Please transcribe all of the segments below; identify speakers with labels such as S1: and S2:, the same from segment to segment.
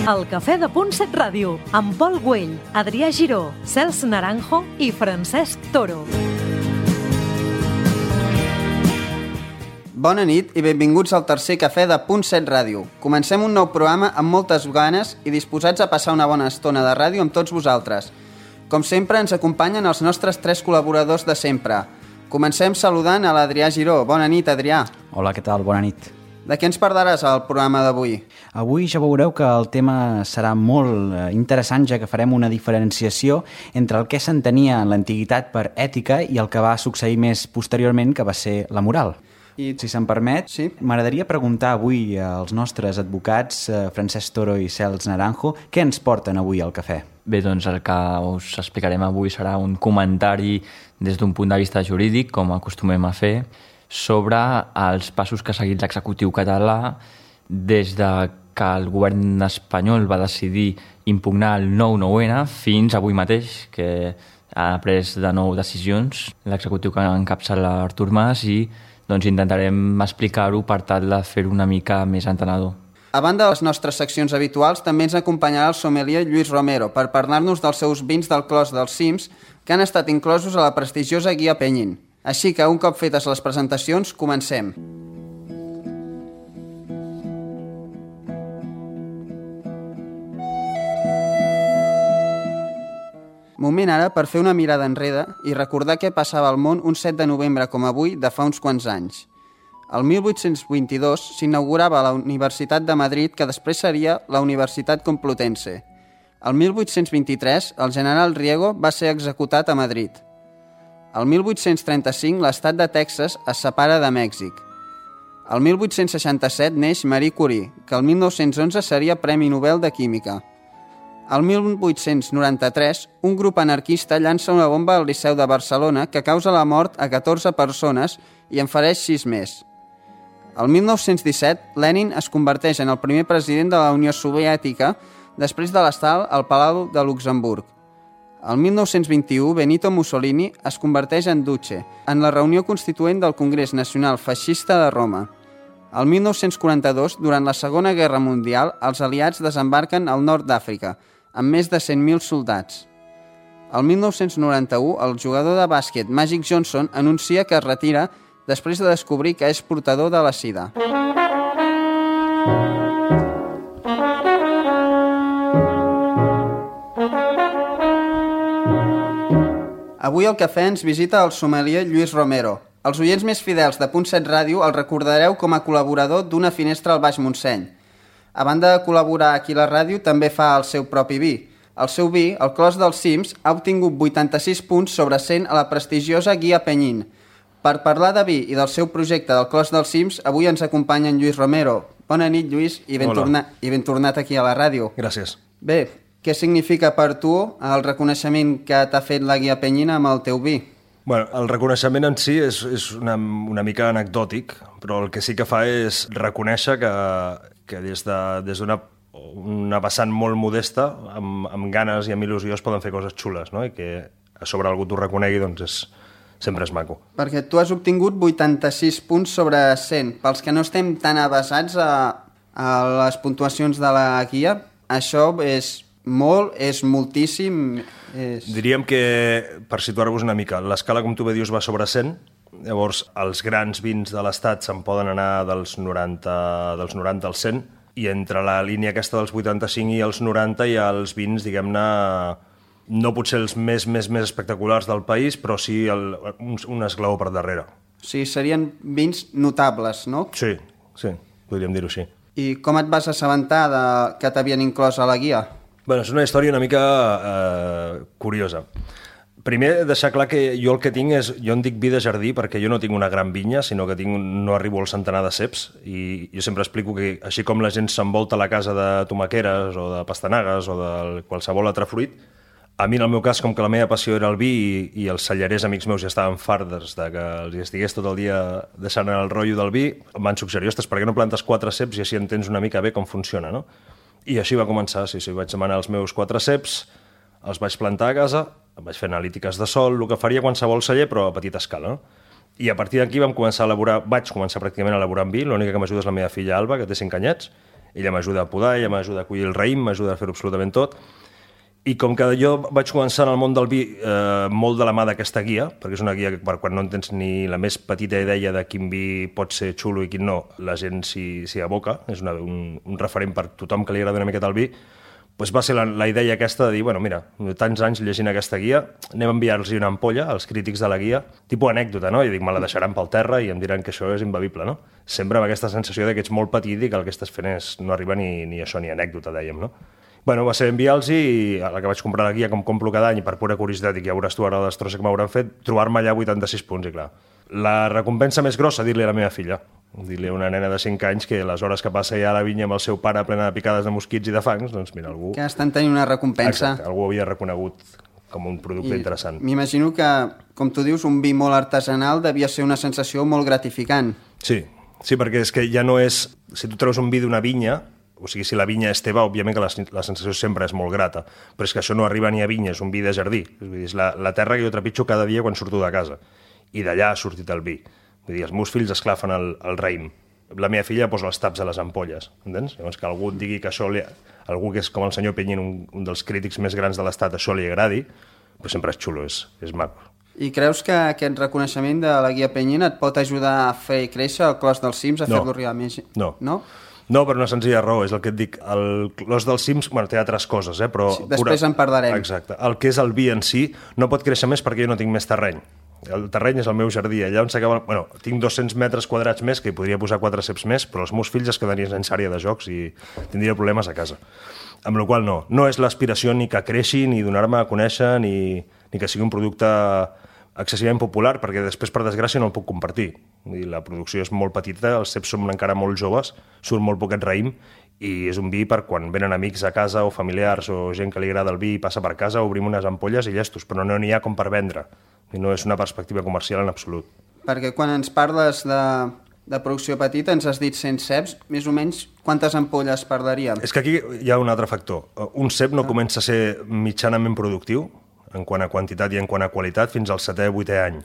S1: El Cafè de Punt 7 Ràdio, amb Pol Güell, Adrià Giró, Cels Naranjo i Francesc Toro.
S2: Bona nit i benvinguts al tercer Cafè de Punt 7 Ràdio. Comencem un nou programa amb moltes ganes i disposats a passar una bona estona de ràdio amb tots vosaltres. Com sempre, ens acompanyen els nostres tres col·laboradors de sempre. Comencem saludant a l'Adrià Giró. Bona nit, Adrià.
S3: Hola, què tal? Bona nit.
S2: De què ens parlaràs al programa d'avui?
S3: Avui ja veureu que el tema serà molt interessant, ja que farem una diferenciació entre el que s'entenia en l'antiguitat per ètica i el que va succeir més posteriorment, que va ser la moral. I, si se'm permet, sí, m'agradaria preguntar avui als nostres advocats, Francesc Toro i Cels Naranjo, què ens porten avui al cafè?
S4: Bé, doncs el que us explicarem avui serà un comentari des d'un punt de vista jurídic, com acostumem a fer, sobre els passos que ha seguit l'executiu català des de que el govern espanyol va decidir impugnar el 9-9N fins avui mateix, que ha pres de nou decisions l'executiu que encapçala Artur Mas, i doncs intentarem explicar-ho per tal de fer-ho una mica més entenedor.
S2: A banda de les nostres seccions habituals, també ens acompanyarà el sommelier Lluís Romero per parlar-nos dels seus vins del Clos dels Cims que han estat inclosos a la prestigiosa guia Penyín. Així que, un cop fetes les presentacions, comencem. Moment ara per fer una mirada enrere i recordar què passava al món un 7 de novembre com avui de fa uns quants anys. El 1822 s'inaugurava la Universitat de Madrid, que després seria la Universitat Complutense. El 1823 el general Riego va ser executat a Madrid. El 1835 l'estat de Texas es separa de Mèxic. El 1867 neix Marie Curie, que el 1911 seria Premi Nobel de Química. El 1893 un grup anarquista llança una bomba al Liceu de Barcelona que causa la mort a 14 persones i en fereix 6 més. El 1917 Lenin es converteix en el primer president de la Unió Soviètica després de l'estar al Palau de Luxemburg. El 1921, Benito Mussolini es converteix en Duce en la reunió constituent del Congrés Nacional Feixista de Roma. El 1942, durant la Segona Guerra Mundial, els aliats desembarquen al nord d'Àfrica, amb més de 100.000 soldats. El 1991, el jugador de bàsquet Magic Johnson anuncia que es retira després de descobrir que és portador de la sida. Avui al cafè ens visita el sommelier Lluís Romero. Els oients més fidels de Punt 7 Ràdio el recordareu com a col·laborador d'Una finestra al Baix Montseny. A banda de col·laborar aquí a la ràdio, també fa el seu propi vi. El seu vi, el Clos dels Cims, ha obtingut 86 punts sobre 100 a la prestigiosa guia Penyín. Per parlar de vi i del seu projecte del Clos dels Cims, avui ens acompanya en Lluís Romero. Bona nit, Lluís, i ben tornat aquí a la ràdio.
S5: Gràcies.
S2: Bé, què significa per tu el reconeixement que t'ha fet la guia Penyín amb el teu vi?
S5: Bueno, el reconeixement en si és una mica anecdòtic, però el que sí que fa és reconèixer que des d'una vessant molt modesta, amb ganes i amb il·lusió es poden fer coses xules, no? I que a sobre algú t'ho reconegui, doncs sempre és maco. Perquè
S2: tu has obtingut 86 punts sobre 100. Pels que no estem tan avesats a les puntuacions de la guia, això és molt, és moltíssim.
S5: Diríem que, per situar-vos una mica, l'escala, com tu bé dius, va sobre 100, llavors els grans vins de l'estat se'n poden anar dels 90 als 100, i entre la línia aquesta dels 85 i els 90 hi ha els vins, diguem-ne, no potser els més espectaculars del país, però sí un esglaó per darrere.
S2: Sí, serien vins notables, no?
S5: Sí, podríem dir-ho així.
S2: I com et vas assabentar que t'havien inclòs a la guia?
S5: Bueno, és una història una mica curiosa. Primer, deixar clar que jo el que tinc és... Jo en dic vi de jardí perquè jo no tinc una gran vinya, sinó que no arribo al centenar de ceps, i jo sempre explico que, així com la gent s'envolta la casa de tomaqueres o de pastanagues o de qualsevol altre fruit, a mi, en el meu cas, com que la meva passió era el vi i els cellerers amics meus ja estaven farts de que els estigués tot el dia deixant el rotllo del vi, em van suggerir, ostres, per què no plantes 4 ceps i així entens una mica bé com funciona, no? I així va començar, sí, vaig demanar els meus 4 ceps, els vaig plantar a casa, vaig fer analítiques de sol, el que faria qualsevol celler, però a petita escala, no? I a partir d'aquí vaig començar pràcticament a elaborar en vi, l'única que m'ajuda és la meva filla Alba, que té 5 anyets, Ella m'ajuda a podar, ella m'ajuda a collir el raïm, m'ajuda a fer absolutament tot. I com que jo vaig començar en el món del vi molt de la mà d'aquesta guia, perquè és una guia que quan no en tens ni la més petita idea de quin vi pot ser xulo i quin no, la gent s'hi aboca, és un referent per tothom que li agrada una miqueta el vi, doncs va ser la idea aquesta de dir, bueno, mira, tants anys llegint aquesta guia, anem a enviar-los una ampolla als crítics de la guia, tipus anècdota, no? I dic, me la deixaran pel terra i em diran que això és imbevible, no? Sempre amb aquesta sensació que ets molt petit i que el que estàs fent no arriba ni això, ni anècdota, dèiem, no? Bueno, va ser enviar-los i a la que vaig comprar la guia, com compro cada any, per pura curiositat, i que ja veuràs tu ara la destrossa que m'hauran fet, trobar-me allà 86 punts, i clar. La recompensa més grossa, dir-li a la meva filla, dir-li a una nena de 5 anys que les hores que passa ja a la vinya amb el seu pare plena de picades de mosquits i de fangs, doncs mira, algú...
S2: Que estan tenint una recompensa.
S5: Exacte, algú havia reconegut com un producte interessant.
S2: M'imagino que, com tu dius, un vi molt artesanal devia ser una sensació molt gratificant.
S5: Sí, perquè és que ja no és... Si tu treus un vi d'una vinya, o sigui, si la vinya és teva, òbviament que la sensació sempre és molt grata, però és que això no arriba ni a vinya, és un vi de jardí. És la terra que jo trepitjo cada dia quan surto de casa. I d'allà ha sortit el vi. Vull dir, els meus fills esclafen el raïm. La meva filla posa els taps a les ampolles, entens? Llavors que algú et digui que això algú que és com el senyor Penyín, un dels crítics més grans de l'Estat, això li agradi, però sempre és xulo, és maco.
S2: I creus que aquest reconeixement de la guia Penyín et pot ajudar a fer créixer el Clos dels Cims, a fer-lo arribar més?
S5: No.
S2: No?
S5: No, per una senzilla raó, és el que et dic. El Clos dels Cims, bueno, té altres coses, però...
S2: Sí, després en parlarem.
S5: Exacte. El que és el vi en si no pot créixer més perquè jo no tinc més terreny. El terreny és el meu jardí. Allà on s'acaba... Bueno, tinc 200 metres quadrats més, que hi podria posar 4 ceps més, però els meus fills es quedarien sense àrea de jocs i tindria problemes a casa. Amb la qual no. No és l'aspiració ni que creixi, ni donar-me a conèixer, ni que sigui un producte excessivament popular, perquè després, per desgràcia, no el puc compartir. La producció és molt petita, els ceps són encara molt joves, surt molt poquet raïm, i és un vi per quan venen amics a casa o familiars o gent que li agrada el vi i passa per casa, obrim unes ampolles i llestos, però no n'hi ha com per vendre. I no és una perspectiva comercial en absolut.
S2: Perquè quan ens parles de producció petita, ens has dit 100 ceps, més o menys quantes ampolles parlaríem?
S5: És que aquí hi ha un altre factor. Un cep no comença a ser mitjanament productiu, en quant a quantitat i en quant a qualitat, fins al 7è o 8è any.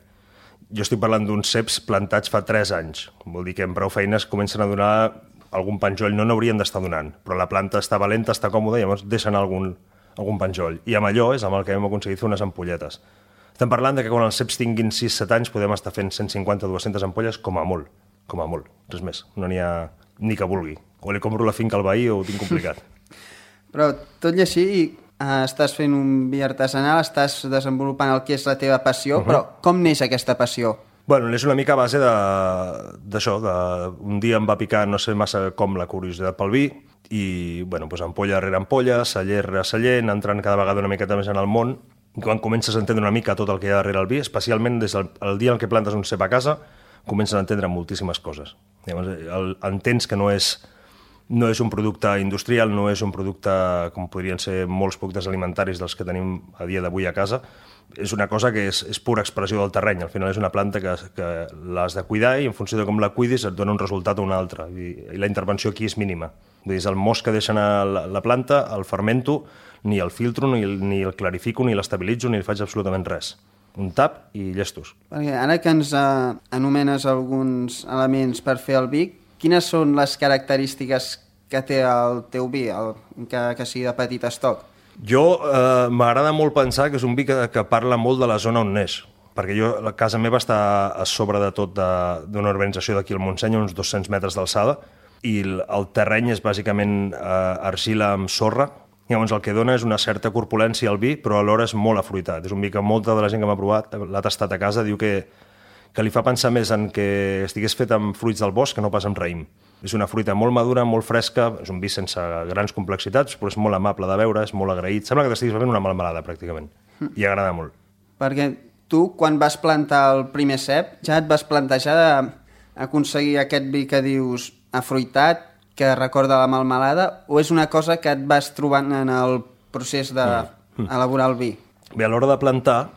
S5: Jo estic parlant d'uns ceps plantats fa 3 anys. Vol dir que amb prou feines comencen a donar algun penjoll. No n'haurien d'estar donant, però la planta està valenta, està còmoda, i llavors deixen algun penjoll. I amb allò és amb el que hem aconseguit fer unes ampolletes. Estem parlant de que quan els ceps tinguin 6-7 anys podem estar fent 150-200 ampolles com a molt, res més. No n'hi ha ni que vulgui. O li compro la finca al veí o ho tinc complicat.
S2: Però tot i així, estàs fent un vi artesanal, estàs desenvolupant el que és la teva passió, però com neix aquesta passió?
S5: Bueno, és una mica a base d'això, un dia em va picar, no sé massa com, la curiositat pel vi, i bueno, doncs ampolla rere ampolla, celler rere celler, entrant cada vegada una miqueta més en el món, i quan comences a entendre una mica tot el que hi ha darrere el vi, especialment des del dia en què plantes un cep a casa, comences a entendre moltíssimes coses. Llavors, entens que no és un producte industrial, no és un producte com podrien ser molts productes alimentaris dels que tenim a dia d'avui a casa. És una cosa que és pura expressió del terreny. Al final és una planta que l'has de cuidar i en funció de com la cuidis et dona un resultat o un altre. I la intervenció aquí és mínima. Vull dir, és el most que deixa anar la planta, el fermento, ni el filtro, ni el clarifico, ni l'estabilitzo, ni li faig absolutament res. Un tap i llestos.
S2: Perquè ara que ens anomenes alguns elements per fer el vi, quines són les característiques que té el teu vi, que sigui de petit estoc?
S5: Jo m'agrada molt pensar que és un vi que parla molt de la zona on neix, perquè la casa meva està a sobre de tot d'una urbanització d'aquí al Montseny, uns 200 metres d'alçada, i el terreny és bàsicament argila amb sorra. Llavors el que dona és una certa corpulència al vi, però alhora és molt afruitat. És un vi que molta de la gent que m'ha provat, l'ha tastat a casa, diu que li fa pensar més en que estigués fet amb fruits del bosc que no pas amb raïm. És una fruita molt madura, molt fresca, és un vi sense grans complexitats, però és molt amable de beure, és molt agraït. Sembla que t'estiguis bevent una melmelada, pràcticament. I agrada molt.
S2: Perquè tu, quan vas plantar el primer cep, ja et vas plantejar d'aconseguir aquest vi que dius afruitat, que recorda la melmelada, o és una cosa que et vas trobant en el procés d'elaborar el vi?
S5: Bé, a l'hora de plantar,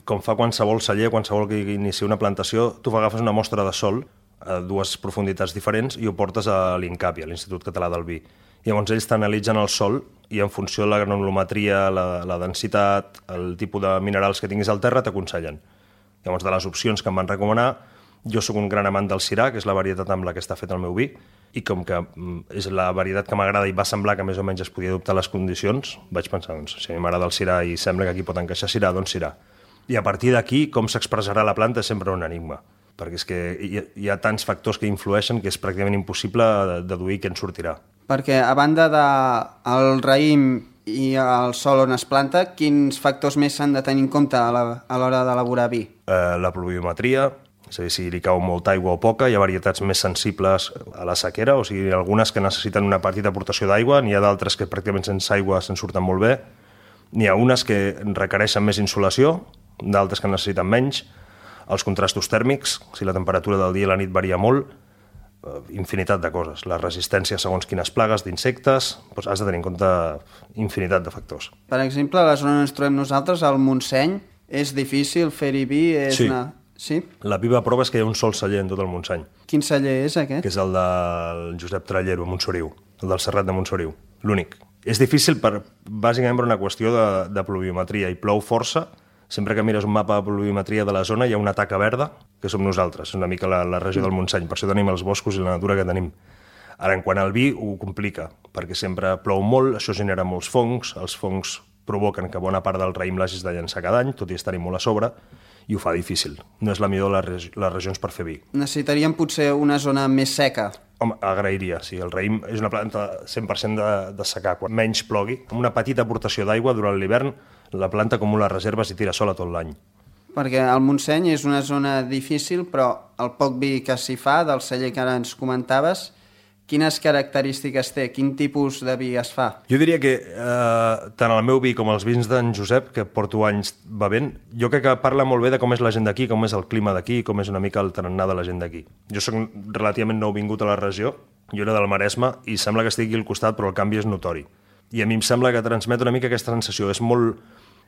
S5: com fa qualsevol celler, qualsevol que inicia una plantació, tu agafes una mostra de sol a 2 profunditats diferents i ho portes a l'INCAPI, a l'Institut Català del Vi. Llavors ells t'analitzen el sol i en funció de la granulometria, la densitat, el tipus de minerals que tinguis al terra, t'aconsellen. Llavors, de les opcions que em van recomanar, jo sóc un gran amant del Syrah, que és la varietat amb la que està fet el meu vi, i com que és la varietat que m'agrada i va semblar que més o menys es podia adoptar les condicions, vaig pensar, doncs, si a mi m'agrada el Syrah i sembla que aquí pot encaixar Syrah, doncs Syrah. I a partir d'aquí, com s'expressarà la planta és sempre un enigma, perquè és que hi ha tants factors que influeixen que és pràcticament impossible deduir què en sortirà.
S2: Perquè a banda del raïm i el sòl on es planta, quins factors més s'han de tenir en compte a l'hora d'elaborar vi?
S5: La pluviometria, és a dir, si li cau molta aigua o poca, hi ha varietats més sensibles a la sequera, o sigui, algunes que necessiten una petita aportació d'aigua, n'hi ha d'altres que pràcticament sense aigua se'n surten molt bé, n'hi ha unes que requereixen més insolació, d'altres que necessiten menys, els contrastos tèrmics, si la temperatura del dia i la nit varia molt, infinitat de coses, la resistència segons quines plagues d'insectes, doncs has de tenir en compte infinitat de factors.
S2: Per exemple, a la zona on ens trobem nosaltres, al Montseny, és difícil fer-hi vi?
S5: Sí.
S2: Sí?
S5: La viva prova és que hi ha un sol celler en tot el Montseny,
S2: Quin celler és aquest?
S5: que és el del Josep Trallero a Montsoriu, el del Serrat de Montsoriu, l'únic. És difícil bàsicament per una qüestió de pluviometria, i plou força. Sempre que mires un mapa de pluviometria de la zona hi ha una taca verda, que som nosaltres, una mica la regió del Montseny, per això tenim els boscos i la natura que tenim. Ara, en quant al vi, ho complica, perquè sempre plou molt, això genera molts fongs, els fongs provoquen que bona part del raïm l'hagis de llançar cada any, tot i estar-hi molt a sobre, i ho fa difícil. No és la millor de les regions per fer vi.
S2: Necessitaríem potser una zona més seca.
S5: Home, agrairia, sí. El raïm és una planta 100% de secà. Quan menys plogui, amb una petita aportació d'aigua durant l'hivern, la planta acumula reserves i tira sola tot l'any.
S2: Perquè el Montseny és una zona difícil, però el poc vi que s'hi fa, del celler que ara ens comentaves, quines característiques té? Quin tipus de vi es fa?
S5: Jo diria que tant el meu vi com els vins d'en Josep, que porto anys bevent, jo crec que parla molt bé de com és la gent d'aquí, com és el clima d'aquí, com és una mica el tarannà de la gent d'aquí. Jo soc relativament nou vingut a la regió, jo era del Maresme, i sembla que estigui al costat, però el canvi és notori. I a mi em sembla que transmet una mica aquesta sensació.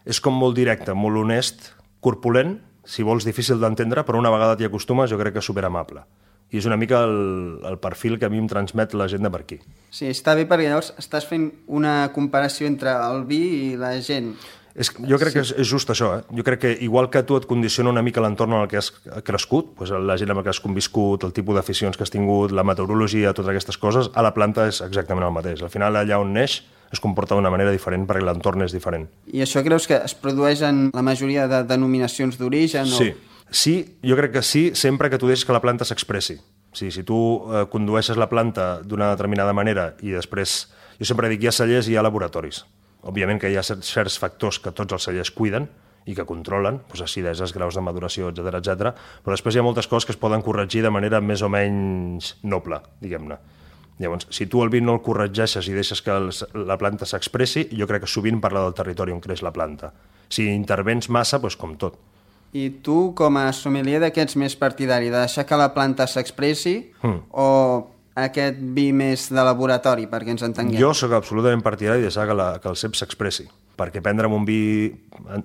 S5: És com molt directe, molt honest, corpulent, si vols difícil d'entendre, però una vegada t'hi acostumes jo crec que és superamable. I és una mica el perfil que a mi em transmet la gent de per aquí.
S2: Sí, està bé perquè llavors estàs fent una comparació entre el vi i la gent.
S5: Jo crec que és just això. Jo crec que igual que tu et condiciona una mica l'entorn en el que has crescut, doncs la gent amb la que has conviscut, el tipus d'aficions que has tingut, la meteorologia, totes aquestes coses, a la planta és exactament el mateix. Al final, allà on neix, es comporta d'una manera diferent perquè l'entorn és diferent.
S2: I això creus que es produeix en la majoria de denominacions d'origen?
S5: Sí, jo crec que sí, sempre que tu deixes que la planta s'expressi. Si tu condueixes la planta d'una determinada manera i després, jo sempre dic, hi ha cellers i hi ha laboratoris. Òbviament que hi ha certs factors que tots els cellers cuiden i que controlen, doncs acideses, graus de maduració, etc, però després hi ha moltes coses que es poden corregir de manera més o menys noble, diguem-ne. Llavors, si tu el vi no el corregeixes i deixes que la planta s'expressi, jo crec que sovint parla del territori on creix la planta. Si intervens massa, doncs com tot.
S2: I tu, com a sommelier d'aquests més partidari, de deixar que la planta s'expressi o aquest vi més de laboratori, perquè ens entenguem?
S5: Jo sóc absolutament partidari de deixar que el cep s'expressi, perquè prendre'm un vi,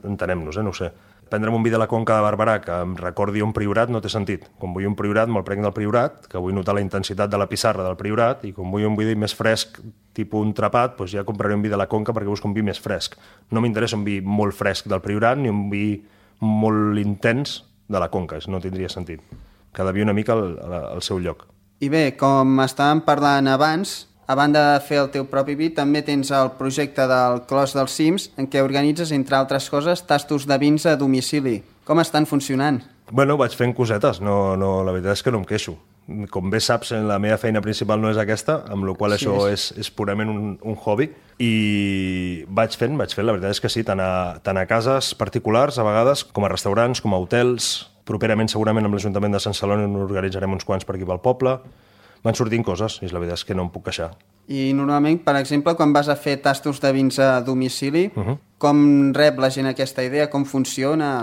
S5: entenem-nos, no ho sé, prendre'm un vi de la Conca de Barberà que em recordi un priorat no té sentit. Quan vull un priorat, me'l prenc del priorat, que vull notar la intensitat de la pissarra del priorat, i quan vull un vi més fresc, tipus un trapat, doncs ja compraré un vi de la Conca perquè busco un vi més fresc. No m'interessa un vi molt fresc del priorat ni un vi molt intens de la Conca, no tindria sentit. Cada vi una mica al seu lloc.
S2: I bé, com estàvem parlant abans, a banda de fer el teu propi vi, també tens el projecte del Clos dels Cims, en què organitzes, entre altres coses, tastos de vins a domicili. Com estan funcionant?
S5: Bueno, vaig fent cosetes, la veritat és que no em queixo. Com bé saps, la meva feina principal no és aquesta, amb la qual això és purament un hobby, i vaig fent, la veritat és que sí, tant a cases particulars, a vegades, com a restaurants, com a hotels, properament segurament amb l'Ajuntament de Sant Celoni n'organitzarem uns quants per aquí pel poble. Van sortint coses, i la veritat és que no em puc queixar.
S2: I normalment, per exemple, quan vas a fer tastos de vins a domicili, com rep la gent aquesta idea, com funciona?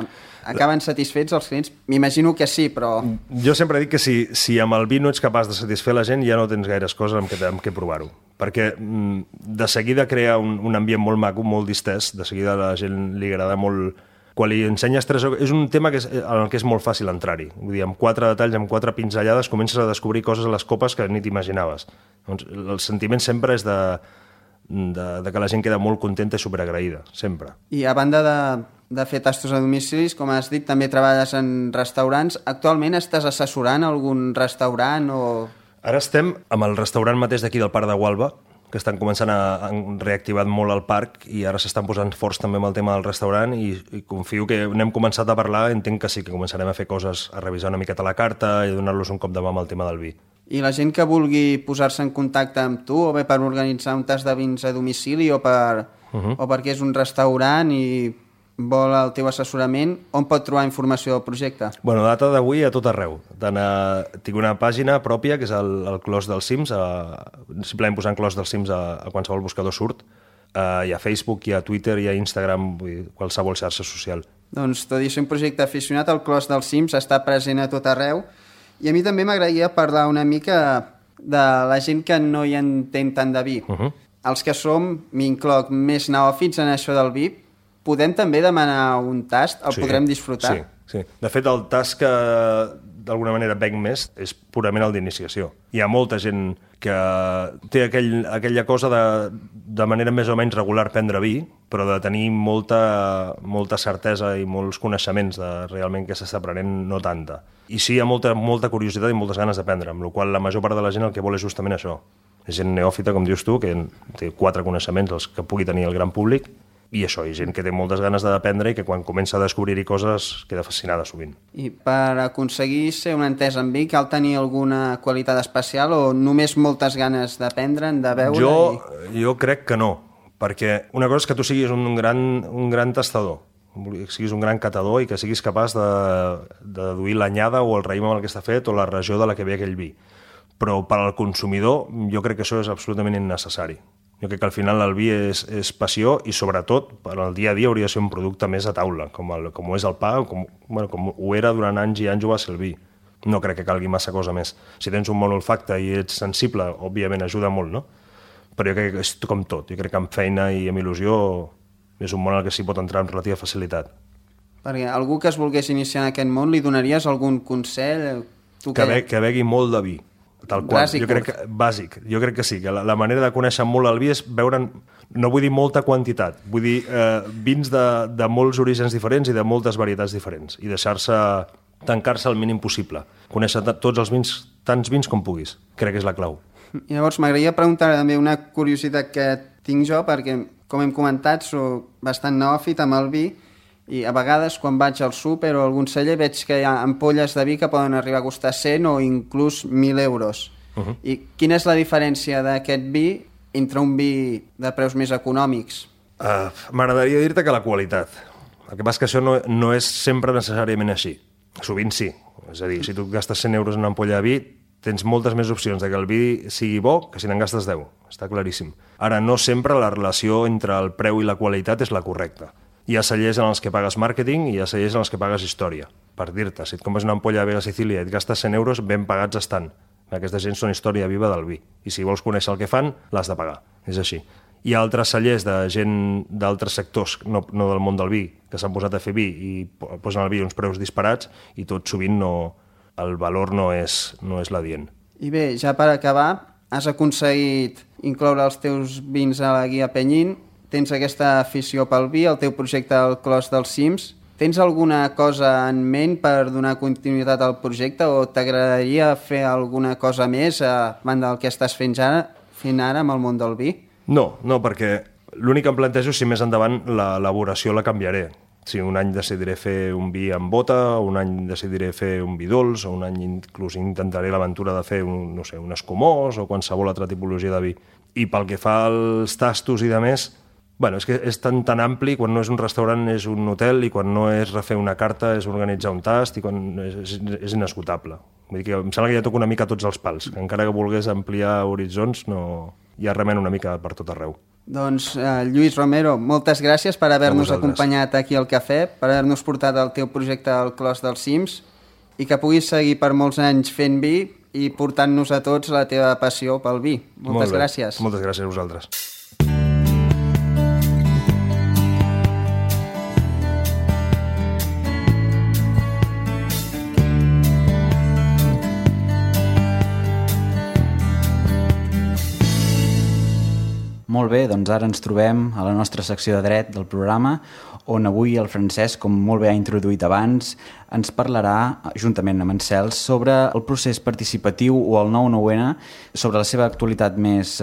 S2: Acaben satisfets els clients? M'imagino que sí, però...
S5: Jo sempre dic que si amb el vi no ets capaç de satisfer la gent, ja no tens gaires coses amb què provar-ho. Perquè de seguida crea un ambient molt maco, molt distès, de seguida a la gent li agrada molt... Quan li ensenyes és un tema en el que és molt fàcil entrar-hi. Vull dir, amb 4 detalls, amb 4 pinzellades, comences a descobrir coses a les copes que ni t'imaginaves. Doncs el sentiment sempre és de que la gent queda molt contenta i superagraïda, sempre.
S2: I a banda de fer tastos a domicilis, com has dit, també treballes en restaurants. Actualment estàs assessorant algun restaurant o...?
S5: Ara estem amb el restaurant mateix d'aquí del Parc de Gualba, que estan començant han reactivat molt el parc i ara s'estan posant forts també amb el tema del restaurant i confio que n'hem començat a parlar, entenc que sí, que començarem a fer coses, a revisar una miqueta la carta i donar-los un cop de mà amb el tema del vi.
S2: I la gent que vulgui posar-se en contacte amb tu, o bé per organitzar un tast de vins a domicili o perquè és un restaurant i vol el teu assessorament, on pot trobar informació del projecte?
S5: Bueno, data d'avui a tot arreu. Tinc una pàgina pròpia, que és el Clos dels Cims, simplement posant Clos dels Cims a qualsevol buscador surt. Hi ha Facebook, hi ha Twitter, hi ha Instagram, qualsevol xarxa social.
S2: Doncs tot i ser un projecte aficionat, el Clos dels Cims està present a tot arreu. I a mi també m'agradaria parlar una mica de la gent que no hi entén tant de vi. Els que som, m'incloc, més neòfits en això del vi, podem també demanar un tast? El podrem disfrutar?
S5: Sí. De fet, el tast que d'alguna manera venc més és purament el d'iniciació. Hi ha molta gent que té aquella cosa de manera més o menys regular prendre vi, però de tenir molta certesa i molts coneixements de realment què s'està prenent, no tanta. I sí, hi ha molta curiositat i moltes ganes d'aprendre, amb la qual la major part de la gent el que vol és justament això. És gent neòfita, com dius tu, que té 4 coneixements, els que pugui tenir el gran públic, i això, i gent que té moltes ganes d'aprendre i que quan comença a descobrir-hi coses queda fascinada sovint.
S2: I per aconseguir ser un entès en vi cal tenir alguna qualitat especial o només moltes ganes d'aprendre'n, de veure?
S5: Jo crec que no, perquè una cosa és que tu siguis un gran tastador, que siguis un gran catador i que siguis capaç de deduir l'anyada o el raïm amb el que està fet o la regió de la que ve aquell vi. Però per al consumidor jo crec que això és absolutament innecessari. Jo crec que al final el vi és passió i sobretot per al dia a dia hauria de ser un producte més a taula, com ho és el pa, com ho era durant anys i anys ho va ser el vi. No crec que calgui massa cosa més. Si tens un bon olfacte i ets sensible, òbviament ajuda molt, no? Però jo crec que és com tot. Jo crec que amb feina i amb il·lusió és un món al que s'hi pot entrar amb relativa facilitat.
S2: Perquè algú que es volgués iniciar en aquest món, li donaries algun consell?
S5: Que begui molt de vi. Tal qual. Bàsic. Jo crec que sí, que la manera de conèixer molt el vi és veure, no vull dir molta quantitat, vull dir vins de molts orígens diferents i de moltes varietats diferents i tancar-se el mínim possible. Conèixer tots els vins, tants vins com puguis. Crec que és la clau.
S2: I llavors m'agradaria preguntar també una curiositat que tinc jo, perquè com hem comentat soc bastant neòfit amb el vi i a vegades quan vaig al súper o a algun celler veig que hi ha ampolles de vi que poden arribar a costar 100 o inclús 1.000 euros. I quina és la diferència d'aquest vi entre un vi de preus més econòmics?
S5: M'agradaria dir-te que la qualitat. El que passa és que això no és sempre necessàriament així. Sovint sí. És a dir, si tu gastes 100 euros en una ampolla de vi, tens moltes més opcions de que el vi sigui bo que si n'en gastes 10. Està claríssim. Ara, no sempre la relació entre el preu i la qualitat és la correcta. Hi ha cellers en els que pagues màrqueting i hi ha cellers en els que pagues història. Per dir-te, si et compres una ampolla de Vega Sicília i et gastes 100 euros, ben pagats estan. Aquesta gent són història viva del vi. I si vols conèixer el que fan, l'has de pagar. És així. Hi ha altres cellers de gent d'altres sectors, no del món del vi, que s'han posat a fer vi i posen al vi uns preus disparats i tot sovint el valor no és l'adient.
S2: I bé, ja per acabar, has aconseguit incloure els teus vins a la guia Penyín. Tens aquesta afició pel vi, el teu projecte al Clos dels Cims. Tens alguna cosa en ment per donar continuïtat al projecte o t'agradaria fer alguna cosa més a banda del que estàs fent ara amb el món del vi?
S5: No, perquè l'únic que em plantejo és si més endavant l'elaboració la canviaré. Si un any decidiré fer un vi amb bota, un any decidiré fer un vi dolç, o un any inclús intentaré l'aventura de fer un escumós o qualsevol altra tipologia de vi. I pel que fa als tastos i de més, és que és tan ampli, quan no és un restaurant és un hotel i quan no és refer una carta és organitzar un tast i quan és inesgotable. Vull dir que em sembla que ja toco una mica tots els pals, que encara que volgués ampliar horitzons ja remen una mica per tot arreu.
S2: Doncs Lluís Romero, moltes gràcies per haver-nos acompanyat aquí al cafè, per haver-nos portat el teu projecte al Clos dels Cims i que puguis seguir per molts anys fent vi i portant-nos a tots la teva passió pel vi. Moltes gràcies.
S5: Moltes gràcies a vosaltres.
S3: Molt bé, doncs ara ens trobem a la nostra secció de dret del programa, on avui el Francesc, com molt bé ha introduït abans, ens parlarà, juntament amb en Cels, sobre el procés participatiu o el 9-9-N, sobre la seva actualitat més...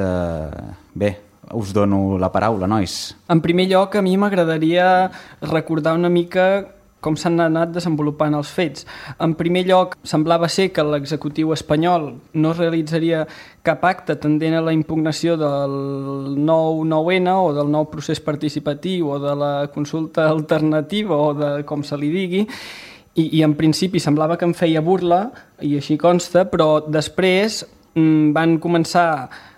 S3: Bé, us dono la paraula, nois.
S6: En primer lloc, a mi m'agradaria recordar una mica com s'han anat desenvolupant els fets. En primer lloc, semblava ser que l'executiu espanyol no realitzaria cap acte tendent a la impugnació del 9-9-N o del nou procés participatiu o de la consulta alternativa o de com se li digui, i en principi semblava que em feia burla, i així consta, però després van començar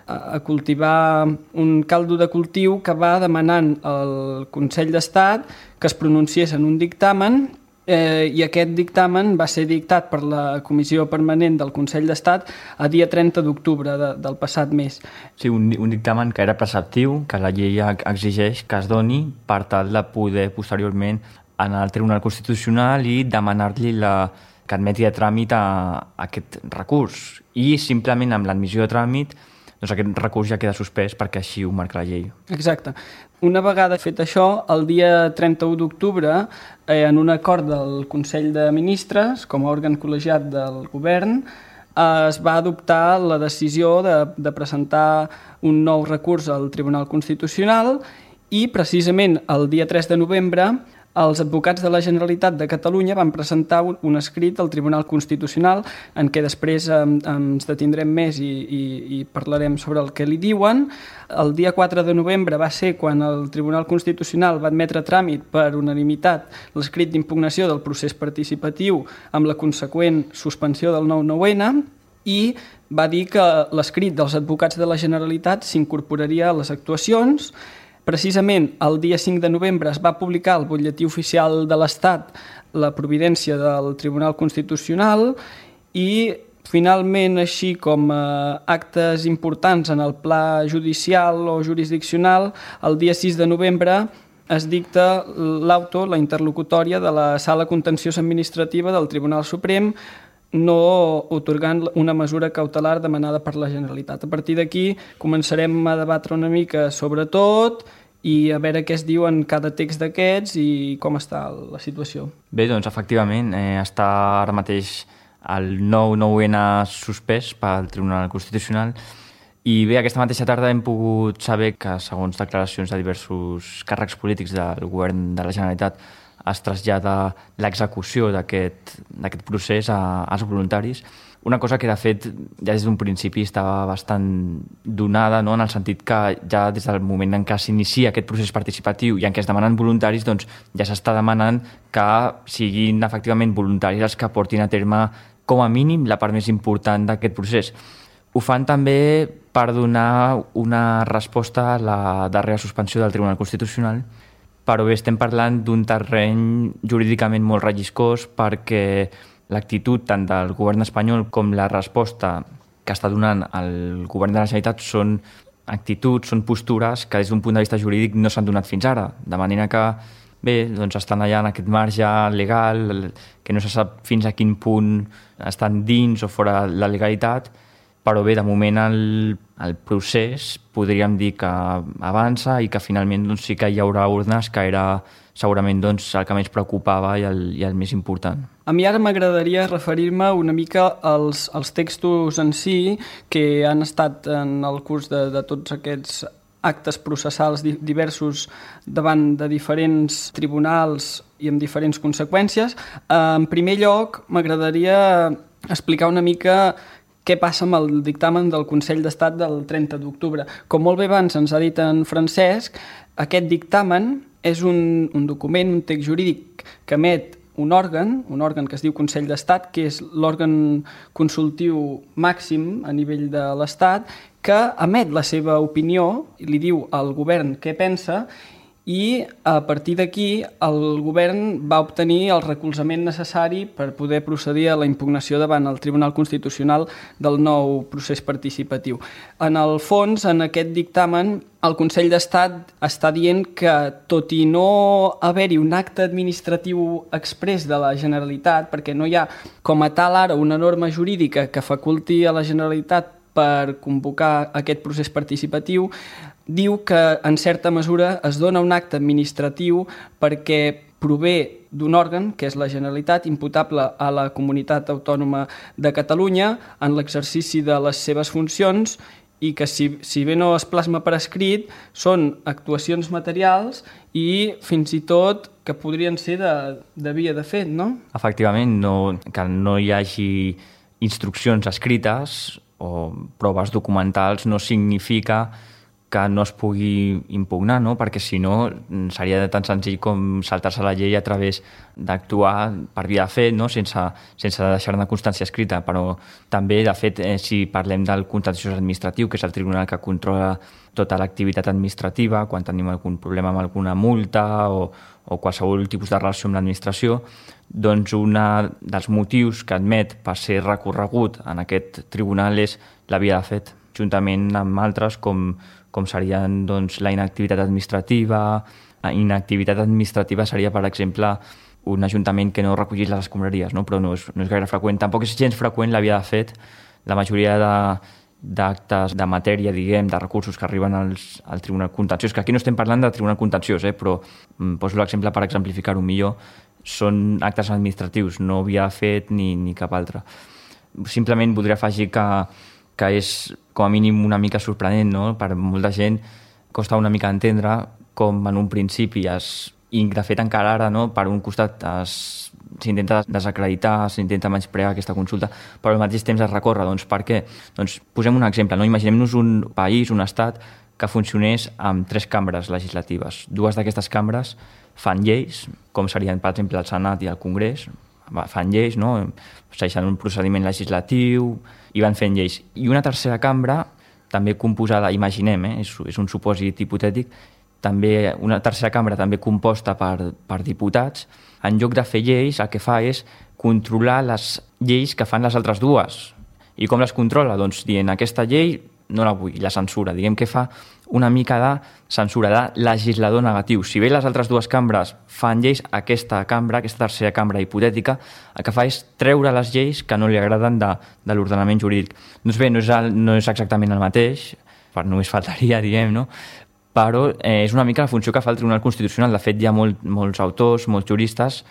S6: a cultivar un caldo de cultiu que va demanant al Consell d'Estat que es pronunciés en un dictamen i aquest dictamen va ser dictat per la Comissió Permanent del Consell d'Estat a dia 30 d'octubre del passat mes.
S4: Sí, un dictamen que era preceptiu, que la llei exigeix que es doni per tal de poder posteriorment anar al Tribunal Constitucional i demanar-li que admeti a tràmit aquest recurs. I simplement amb l'admissió de tràmit doncs aquest recurs ja queda suspès perquè així ho marca la llei. Exacte.
S6: Una vegada fet això, el dia 31 d'octubre, en un acord del Consell de Ministres, com a òrgan col·legiat del govern, es va adoptar la decisió de presentar un nou recurs al Tribunal Constitucional i precisament el dia 3 de novembre els advocats de la Generalitat de Catalunya van presentar un escrit al Tribunal Constitucional en què després ens detindrem més i parlarem sobre el que li diuen. El dia 4 de novembre va ser quan el Tribunal Constitucional va admetre a tràmit per unanimitat l'escrit d'impugnació del procés participatiu amb la conseqüent suspensió del 9-9-N i va dir que l'escrit dels advocats de la Generalitat s'incorporaria a les actuacions. Precisament el dia 5 de novembre es va publicar al Butlletí Oficial de l'Estat la providència del Tribunal Constitucional i finalment, així com actes importants en el pla judicial o jurisdiccional, el dia 6 de novembre es dicta l'auto, la interlocutòria de la Sala Contenciosa Administrativa del Tribunal Suprem, no otorgant una mesura cautelar demanada per la Generalitat. A partir d'aquí començarem a debatre una mica sobre tot i a veure què es diu en cada text d'aquests i com està la situació.
S4: Bé, doncs efectivament està ara mateix el 9-9-N suspès pel Tribunal Constitucional i bé, aquesta mateixa tarda hem pogut saber que segons declaracions de diversos càrrecs polítics del govern de la Generalitat es trasllada l'execució d'aquest procés als voluntaris. Una cosa que, de fet, ja des d'un principi estava bastant donada, no? En el sentit que ja des del moment en què s'inicia aquest procés participatiu i en què es demanen voluntaris, doncs ja s'està demanant que siguin efectivament voluntaris els que portin a terme, com a mínim, la part més important d'aquest procés. Ho fan també per donar una resposta a la darrera suspensió del Tribunal Constitucional, però bé, estem parlant d'un terreny jurídicament molt relliscós perquè l'actitud tant del govern espanyol com la resposta que està donant el govern de la Generalitat són actituds, són postures que des d'un punt de vista jurídic no s'han donat fins ara, de manera que bé, doncs estan allà en aquest marge legal que no se sap fins a quin punt estan dins o fora la legalitat, però bé, de moment el procés podríem dir que avança i que finalment doncs, sí que hi haurà urnes, que era segurament doncs, el que més preocupava i el més important.
S6: A mi ara m'agradaria referir-me una mica als textos en si que han estat en el curs de tots aquests actes processals diversos davant de diferents tribunals i amb diferents conseqüències. En primer lloc, m'agradaria explicar una mica què passa amb el dictamen del Consell d'Estat del 30 d'octubre. Com molt bé abans ens ha dit en Francesc, aquest dictamen és un document, un text jurídic que emet un òrgan que es diu Consell d'Estat, que és l'òrgan consultiu màxim a nivell de l'Estat, que emet la seva opinió i li diu al govern què pensa i a partir d'aquí el govern va obtenir el recolzament necessari per poder procedir a la impugnació davant el Tribunal Constitucional del nou procés participatiu. En el fons, en aquest dictamen, el Consell d'Estat està dient que, tot i no haver-hi un acte administratiu exprés de la Generalitat, perquè no hi ha com a tal ara una norma jurídica que faculti a la Generalitat per convocar aquest procés participatiu, diu que en certa mesura es dona un acte administratiu perquè prové d'un òrgan, que és la Generalitat, imputable a la Comunitat Autònoma de Catalunya en l'exercici de les seves funcions, i que si bé no es plasma per escrit, són actuacions materials i fins i tot que podrien ser de via de fet, no?
S4: Efectivament, que no hi hagi instruccions escrites o proves documentals no significa que no es pugui impugnar, no? Perquè si no seria tan senzill com saltar-se la llei a través d'actuar per via de fet, no? sense deixar-ne constància escrita. Però també, de fet, si parlem del contenciós administratiu, que és el tribunal que controla tota l'activitat administrativa, quan tenim algun problema amb alguna multa o qualsevol tipus de relació amb l'administració, doncs un dels motius que admet per ser recorregut en aquest tribunal és la via de fet, juntament amb altres com serien doncs, la inactivitat administrativa. La inactivitat administrativa seria, per exemple, un ajuntament que no recollís les escombraries, no? Però no és gaire freqüent. Tampoc és gens freqüent la via de fet. La majoria d'actes de matèria, diguem, de recursos que arriben al Tribunal Contenciós, que aquí no estem parlant de Tribunal Contenciós, però poso l'exemple per exemplificar-ho millor, són actes administratius, no via de fet ni cap altre. Simplement voldria afegir que és com a mínim una mica sorprenent, no? Per molta gent costa una mica entendre com en un principi i de fet encara ara, no? Per un costat s'intenta desacreditar, s'intenta menysprear aquesta consulta, però al mateix temps es recorre. Doncs per què? Doncs posem un exemple, no? Imaginem-nos un país, un estat, que funcionés amb 3 cambres legislatives. 2 d'aquestes cambres fan lleis, com serien, per exemple, el Senat i el Congrés, fan lleis, no? Segueixen un procediment legislatiu i van fent lleis. I una tercera cambra, també composada, imaginem, és un supòsit hipotètic, també una tercera cambra també composta per diputats, en lloc de fer lleis, el que fa és controlar les lleis que fan les altres dues. I com les controla? Doncs dient, aquesta llei no la vull, la censura. Diguem que fa una mica de censura, de legislador negatiu. Si bé les altres 2 cambres fan lleis, aquesta tercera cambra hipotètica, el que fa és treure les lleis que no li agraden de l'ordenament jurídic. Doncs bé, no és exactament el mateix, per només faltaria, diguem, no? Però és una mica la funció que fa el Tribunal Constitucional. De fet, hi ha molts autors, molts juristes,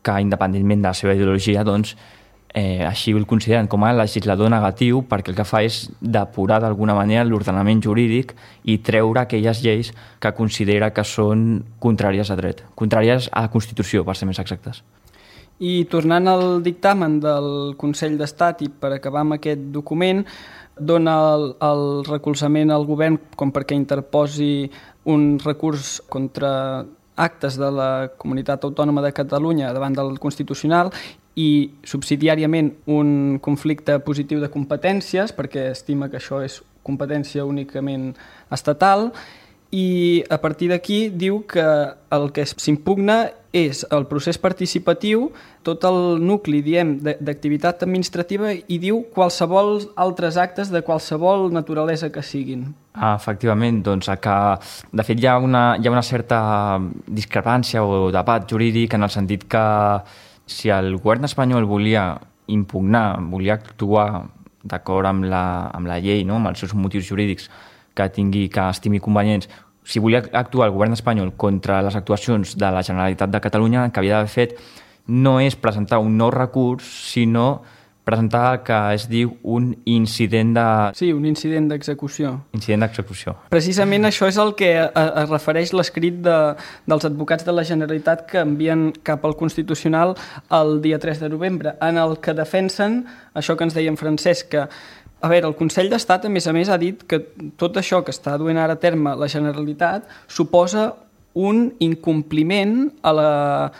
S4: que independentment de la seva ideologia, doncs, així el consideren com a legislador negatiu, perquè el que fa és depurar d'alguna manera l'ordenament jurídic i treure aquelles lleis que considera que són contràries a dret, contràries a la Constitució, per ser més exactes.
S6: I tornant al dictamen del Consell d'Estat, i per acabar amb aquest document, dona el recolzament al govern com perquè interposi un recurs contra actes de la Comunitat Autònoma de Catalunya davant del Constitucional i subsidiàriament un conflicte positiu de competències, perquè estima que això és competència únicament estatal, i a partir d'aquí diu que el que s'impugna és el procés participatiu, tot el nucli, diem, d'activitat administrativa, i diu qualsevol altres actes de qualsevol naturalesa que siguin.
S4: Efectivament, doncs de fet hi ha una certa discrepància o debat jurídic en el sentit que si el govern espanyol volia impugnar, volia actuar d'acord amb la llei, no? Amb els seus motius jurídics que estimi convenients, si volia actuar el govern espanyol contra les actuacions de la Generalitat de Catalunya, el que havia d'haver fet no és presentar un nou recurs, sinó presentar el que es diu un incident de...
S6: Sí, un incident d'execució.
S4: Incident d'execució.
S6: Precisament això és el que es refereix l'escrit dels advocats de la Generalitat que envien cap al Constitucional el dia 3 de novembre, en el que defensen això que ens deia en Francesc, que a veure, el Consell d'Estat, a més, ha dit que tot això que està duent ara a terme la Generalitat suposa un incompliment a la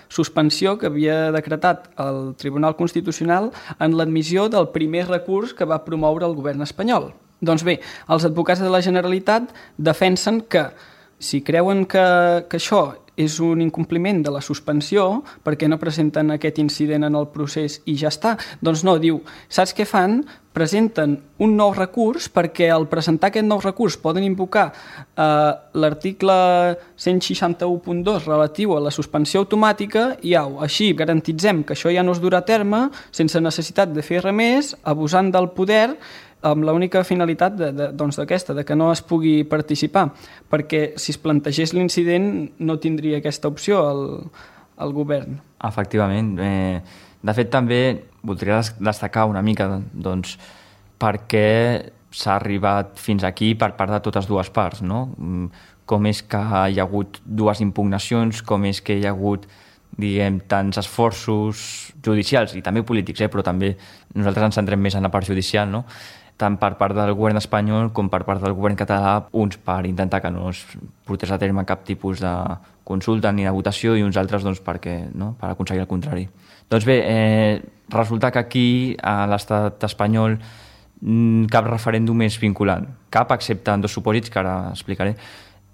S6: suspensió que havia decretat el Tribunal Constitucional en l'admissió del primer recurs que va promoure el govern espanyol. Doncs bé, els advocats de la Generalitat defensen que si creuen que això és un incompliment de la suspensió, perquè no presenten aquest incident en el procés i ja està? Doncs no, diu, saps què fan? Presenten un nou recurs perquè al presentar aquest nou recurs poden invocar l'article 161.2 relatiu a la suspensió automàtica i així garantitzem que això ja no es durà a terme sense necessitat de fer res més, abusant del poder amb l'única finalitat d'aquesta, de que no es pugui participar, perquè si es plantegés l'incident no tindria aquesta opció el govern.
S4: Efectivament. De fet, també voldria destacar una mica doncs, per què s'ha arribat fins aquí per part de totes dues parts, no? Com és que hi ha hagut dues impugnacions, com és que hi ha hagut, diguem, tants esforços judicials i també polítics, però també nosaltres ens centrem més en la part judicial, no? Tant per part del govern espanyol com per part del govern català, uns per intentar que no es portés a terme cap tipus de consulta ni de votació i uns altres doncs, perquè, no? Per aconseguir el contrari. Doncs bé, resulta que aquí a l'estat espanyol cap referèndum és vinculant, cap excepte en dos supòsits que ara explicaré.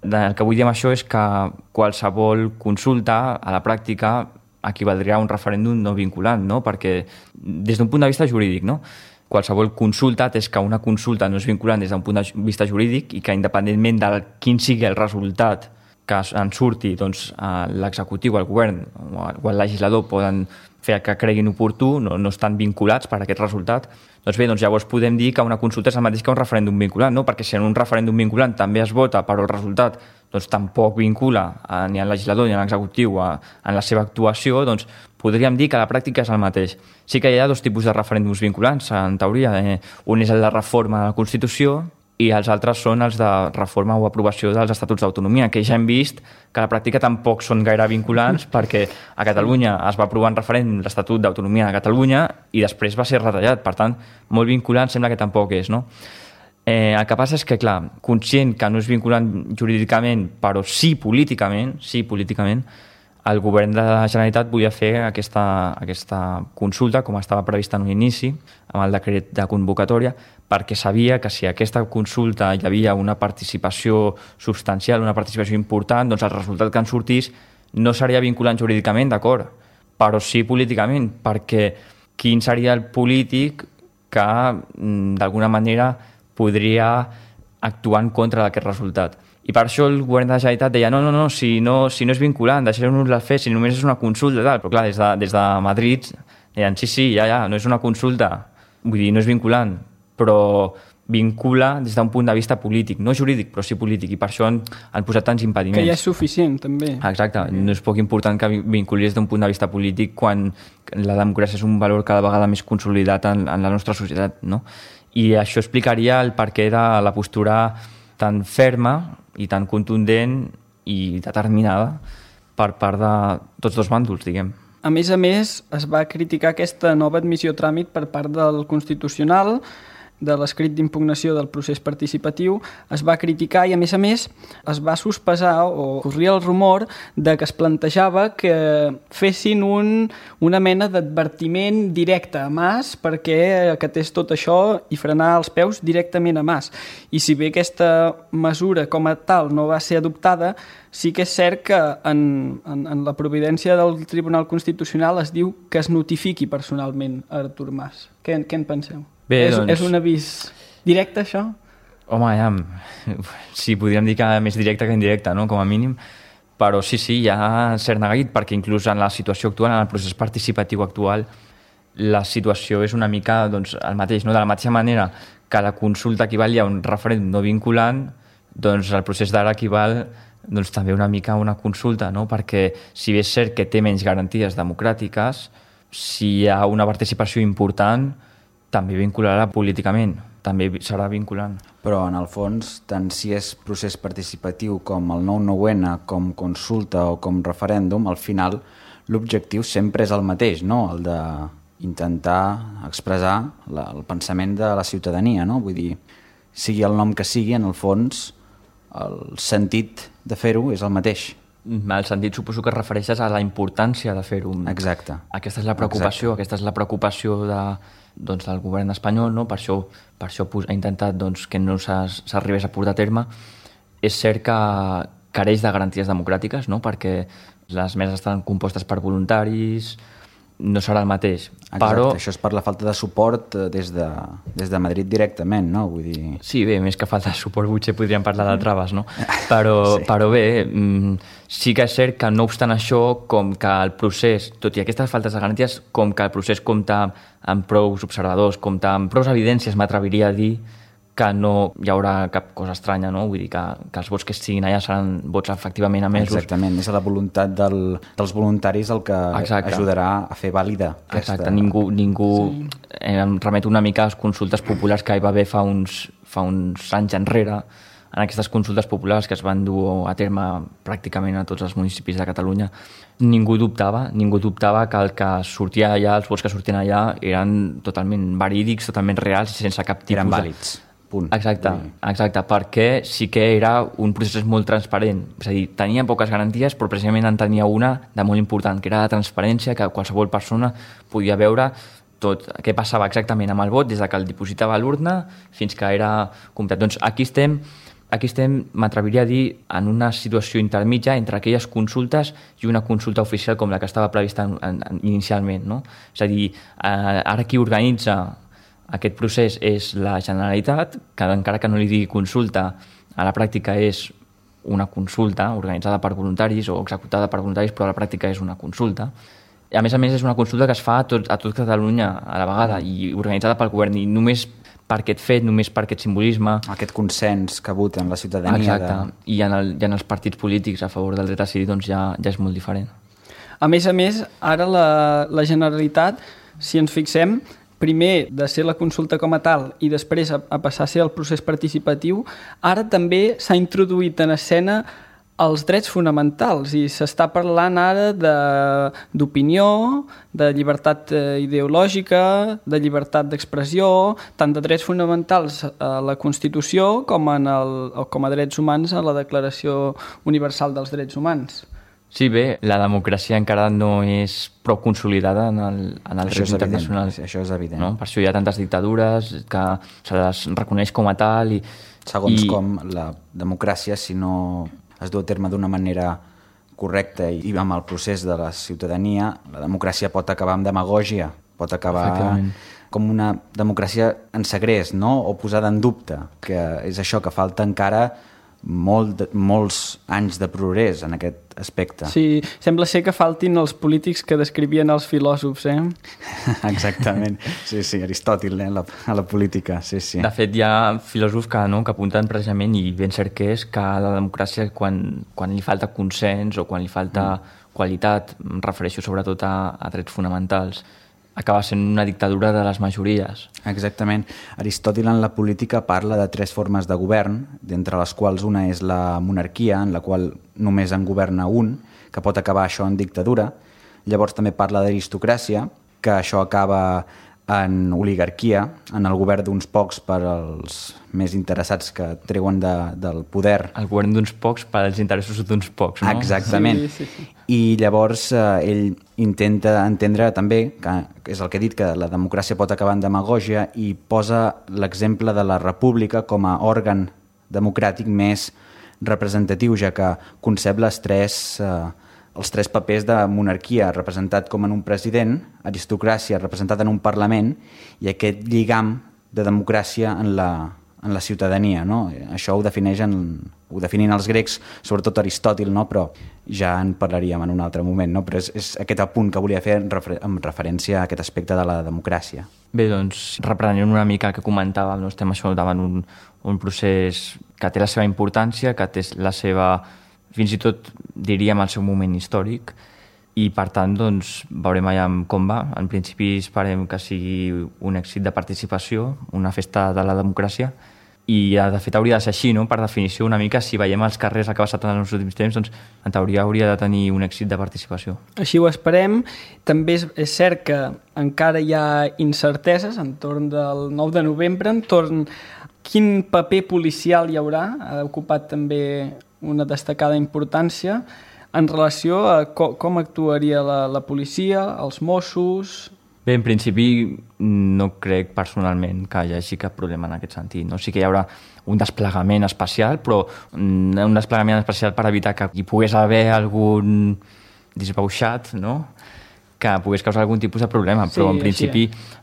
S4: El que vull dir amb això és que qualsevol consulta a la pràctica equivaldria a un referèndum no vinculant, no? Perquè des d'un punt de vista jurídic, no? Qualsevol consulta és que una consulta no és vinculant des d'un punt de vista jurídic i que independentment de quin sigui el resultat que en surti, doncs, l'executiu, el govern o el legislador poden fer que creguin oportú, no estan vinculats per aquest resultat. Doncs bé, doncs llavors podem dir que una consulta és el mateix que un referèndum vinculant, no? Perquè si en un referèndum vinculant també es vota però el resultat doncs, tampoc vincula ni al legislador ni a l'executiu en la seva actuació, doncs podríem dir que a la pràctica és el mateix. Sí que hi ha dos tipus de referèndums vinculants, en teoria. Un és el de reforma de la Constitució i els altres són els de reforma o aprovació dels Estatuts d'Autonomia, que ja hem vist que a la pràctica tampoc són gaire vinculants perquè a Catalunya es va aprovar en referèndum l'Estatut d'Autonomia de Catalunya i després va ser retallat. Per tant, molt vinculant sembla que tampoc és, no? El que passa és que, clar, conscient que no és vinculant jurídicament, però sí políticament, el govern de la Generalitat volia fer aquesta consulta, com estava prevista en un inici, amb el decret de convocatòria, perquè sabia que si a aquesta consulta hi havia una participació substancial, una participació important, doncs el resultat que en sortís no seria vinculant jurídicament, d'acord, però sí políticament, perquè quin seria el polític que d'alguna manera podria actuar en contra d'aquest resultat. I per això el govern de la Generalitat deia no, si no és vinculant, deixeu-nos-la fer, si només és una consulta, tal. Però clar, des de Madrid deien sí, ja, no és una consulta, vull dir, no és vinculant, però vincula des d'un punt de vista polític, no jurídic, però sí polític, i per això han posat tants impediments.
S6: Que ja és suficient, també.
S4: Exacte, no és poc important que vinculi des d'un punt de vista polític quan la democràcia és un valor cada vegada més consolidat en la nostra societat, no? I això explicaria el perquè de la postura tan ferma i tan contundent i determinada per part de tots dos bàndols, diguem.
S6: A més, es va criticar aquesta nova admissió a tràmit per part del Constitucional, de l'escrit d'impugnació del procés participatiu, es va criticar i, a més, es va sospesar o corria el rumor de que es plantejava que fessin una mena d'advertiment directe a Mas perquè acatés tot això i frenar els peus directament a Mas. I si bé aquesta mesura com a tal no va ser adoptada, sí que és cert que en la providència del Tribunal Constitucional es diu que es notifiqui personalment a Artur Mas. Què en penseu?
S4: Bé, doncs...
S6: És un avís directe, això?
S4: Home, ja... Sí, podríem dir que més directe que indirecte, no?, com a mínim. Però sí, hi ha cert neguit, perquè inclús en la situació actual, en el procés participatiu actual, la situació és una mica doncs, el mateix, no? De la mateixa manera que la consulta equivalia a un referèndum no vinculant, doncs el procés d'ara equival doncs, també una mica a una consulta, no? Perquè si bé és cert que té menys garanties democràtiques, si hi ha una participació important, també vincularà políticament, també serà vinculant.
S3: Però, en el fons, tant si és procés participatiu com el 9-9N, com consulta o com referèndum, al final l'objectiu sempre és el mateix, no? El d'intentar expressar el pensament de la ciutadania, no? Vull dir, sigui el nom que sigui, en el fons, el sentit de fer-ho és el mateix.
S4: El sentit suposo que es refereixes a la importància de fer-ho.
S3: Exacte.
S4: Aquesta és la preocupació, del govern espanyol, no? Per això ha intentat doncs, que no s'arribés a portar a terme. És cert que careix de garanties democràtiques, no? Perquè les meses estan compostes per voluntaris, no serà el mateix.
S3: Exacte,
S4: però
S3: això és per la falta de suport des de Madrid directament, no? Vull dir...
S4: Sí, bé, més que falta de suport potser podríem parlar de traves, no? Però bé, sí que és cert que no obstant això, com que el procés, tot i aquestes faltes de garanties, com que el procés compta amb prous observadors, compta amb prous evidències, m'atreviria a dir que no hi haurà cap cosa estranya, no? Vull dir que els vots que estiguin allà seran vots efectivament emesos.
S3: Exactament, és la voluntat dels voluntaris el que ajudarà a fer vàlida aquesta...
S4: Exacte, ningú sí. Em remeto una mica a les consultes populars que hi va haver fa uns anys enrere, en aquestes consultes populars que es van dur a terme pràcticament a tots els municipis de Catalunya. Ningú dubtava que el que sortia allà, els vots que sortien allà eren totalment verídics, totalment reals i sense cap tipus
S3: eren vàlids. Punt.
S4: Exacte, perquè sí que era un procés molt transparent, és a dir, tenia poques garanties però precisament en tenia una de molt important, que era la transparència, que qualsevol persona podia veure tot què passava exactament amb el vot des que el dipositava a l'urna fins que era comptat. Doncs aquí estem, m'atreviria a dir, en una situació intermitja entre aquelles consultes i una consulta oficial com la que estava prevista inicialment, no? És a dir, ara qui organitza aquest procés és la Generalitat, que encara que no li digui consulta, a la pràctica és una consulta organitzada per voluntaris o executada per voluntaris, però a la pràctica és una consulta. I a més és una consulta que es fa a tot Catalunya a la vegada i organitzada pel govern, i només per aquest fet, només per aquest simbolisme...
S3: Aquest consens que vota en la ciutadania...
S4: Exacte, i en els partits polítics a favor del dret a decidir doncs ja és molt diferent.
S6: A més, ara la Generalitat, si ens fixem, primer de ser la consulta com a tal i després a passar a ser el procés participatiu, ara també s'ha introduït en escena els drets fonamentals i s'està parlant ara d'opinió, de llibertat ideològica, de llibertat d'expressió, tant de drets fonamentals a la Constitució com a drets humans a la Declaració Universal dels Drets Humans.
S4: Sí, bé, la democràcia encara no és prou consolidada en el dret internacional.
S3: Això és evident.
S4: No? Per això hi ha tantes dictadures que se les reconeix com a tal.
S3: Segons com la democràcia, si no es du a terme d'una manera correcta i amb el procés de la ciutadania, la democràcia pot acabar amb demagògia, pot acabar com una democràcia en segrest, no? O posada en dubte, que és això, que falta encara molts anys de progrés en aquest aspecte.
S6: Sí, sembla ser que faltin els polítics que descrivien els filòsofs,
S3: Exactament. Sí, Aristòtil, a la política, sí.
S4: De fet, hi ha filòsofs que apunten precisament, i ben cert que és, que la democràcia, quan li falta consens o quan li falta qualitat, em refereixo sobretot a drets fonamentals, acaba sent una dictadura de les majories.
S3: Exactament. Aristòtil en la política parla de 3 formes de govern, d'entre les quals una és la monarquia, en la qual només en governa un, que pot acabar això en dictadura. Llavors també parla d'aristocràcia, que això acaba en oligarquia, en el govern d'uns pocs per als més interessats que treuen del poder.
S4: El govern d'uns pocs per als interessos d'uns pocs, no?
S3: Exactament. Sí. I llavors ell intenta entendre també, que és el que he dit, que la democràcia pot acabar en demagògia, i posa l'exemple de la república com a òrgan democràtic més representatiu, ja que concep els tres papers de monarquia representat com en un president, aristocràcia representada en un parlament, i aquest lligam de democràcia en la ciutadania, no? Això ho definien els grecs, sobretot Aristòtil, no? Però ja en parlaríem en un altre moment, no? Però és aquest apunt que volia fer en referència a aquest aspecte de la democràcia.
S4: Bé, doncs, reprenent una mica el que comentàvem, no? Estem això davant un procés que té la seva importància, que té la seva, fins i tot diríem el seu moment històric, i per tant doncs, veurem allà com va. En principi esperem que sigui un èxit de participació, una festa de la democràcia, i de fet hauria de ser així, no? Per definició una mica, si veiem els carrers el que ha passat en els últims temps, doncs en teoria hauria de tenir un èxit de participació.
S6: Així ho esperem. També és cert que encara hi ha incerteses entorn del 9 de novembre, entorn quin paper policial hi haurà, ha ocupat també una destacada importància en relació a com actuaria la policia, els Mossos...
S4: Bé, en principi no crec personalment que hi hagi cap problema en aquest sentit. No? Sí que hi haurà un desplegament especial, però un desplegament especial per evitar que hi pogués haver algun disbauxat, no? que pogués causar algun tipus de problema, però en principi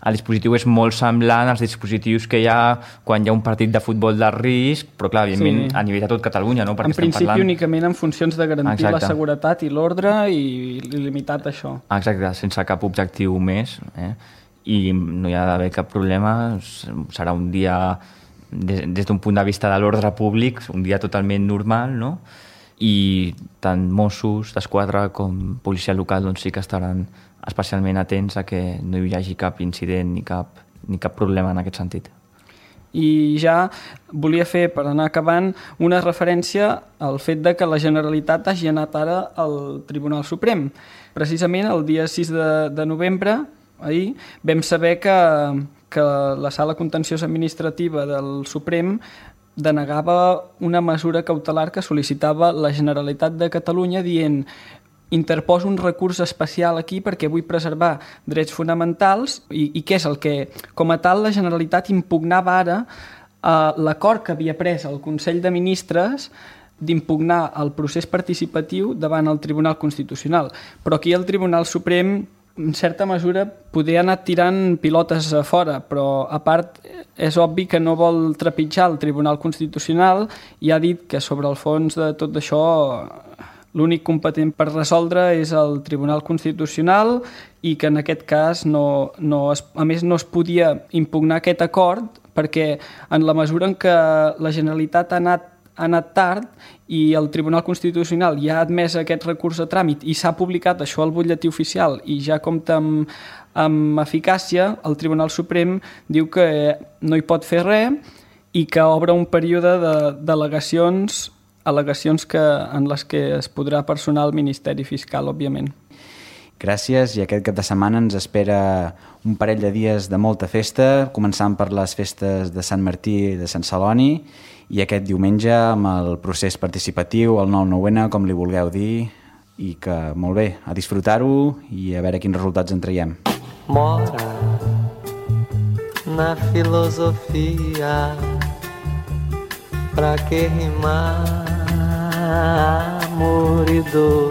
S4: el dispositiu és molt semblant als dispositius que hi ha quan hi ha un partit de futbol de risc, però clar, evidentment a nivell de tot Catalunya, no? Perquè
S6: en principi únicament en funcions de garantir la seguretat i l'ordre i limitat això.
S4: Exacte, sense cap objectiu més, i no hi ha d'haver cap problema, serà un dia des d'un punt de vista de l'ordre públic, un dia totalment normal, no? I tant Mossos d'Esquadra com policia local doncs sí que estaran especialment atents a que no hi hagi cap incident ni cap problema en aquest sentit.
S6: I ja volia fer, per anar acabant, una referència al fet de que la Generalitat hagi anat ara al Tribunal Suprem. Precisament el dia 6 de novembre, ahir, vam saber que la Sala Contenciosa Administrativa del Suprem denegava una mesura cautelar que sol·licitava la Generalitat de Catalunya dient interposo un recurs especial aquí perquè vull preservar drets fonamentals i què és el que, com a tal, la Generalitat impugnava ara l'acord que havia pres el Consell de Ministres d'impugnar el procés participatiu davant el Tribunal Constitucional. Però aquí el Tribunal Suprem, en certa mesura, podia anar tirant pilotes a fora, però a part és obvi que no vol trepitjar el Tribunal Constitucional i ha dit que sobre el fons de tot això l'únic competent per resoldre és el Tribunal Constitucional i que en aquest cas a més no es podia impugnar aquest acord perquè en la mesura en què la Generalitat ha anat tard i el Tribunal Constitucional ja ha admès aquest recurs a tràmit i s'ha publicat això al butlletí oficial i ja compta amb eficàcia, el Tribunal Suprem diu que no hi pot fer res i que obre un període d'al·legacions en les que es podrà personar el Ministeri Fiscal, òbviament.
S3: Gràcies, i aquest cap de setmana ens espera un parell de dies de molta festa, començant per les festes de Sant Martí i de Sant Celoni, i aquest diumenge amb el procés participatiu, el 9-9-N, com li vulgueu dir, i que, molt bé, a disfrutar-ho i a veure quins resultats en traiem.
S7: Mora na filosofia, pra que rimar amor i dor.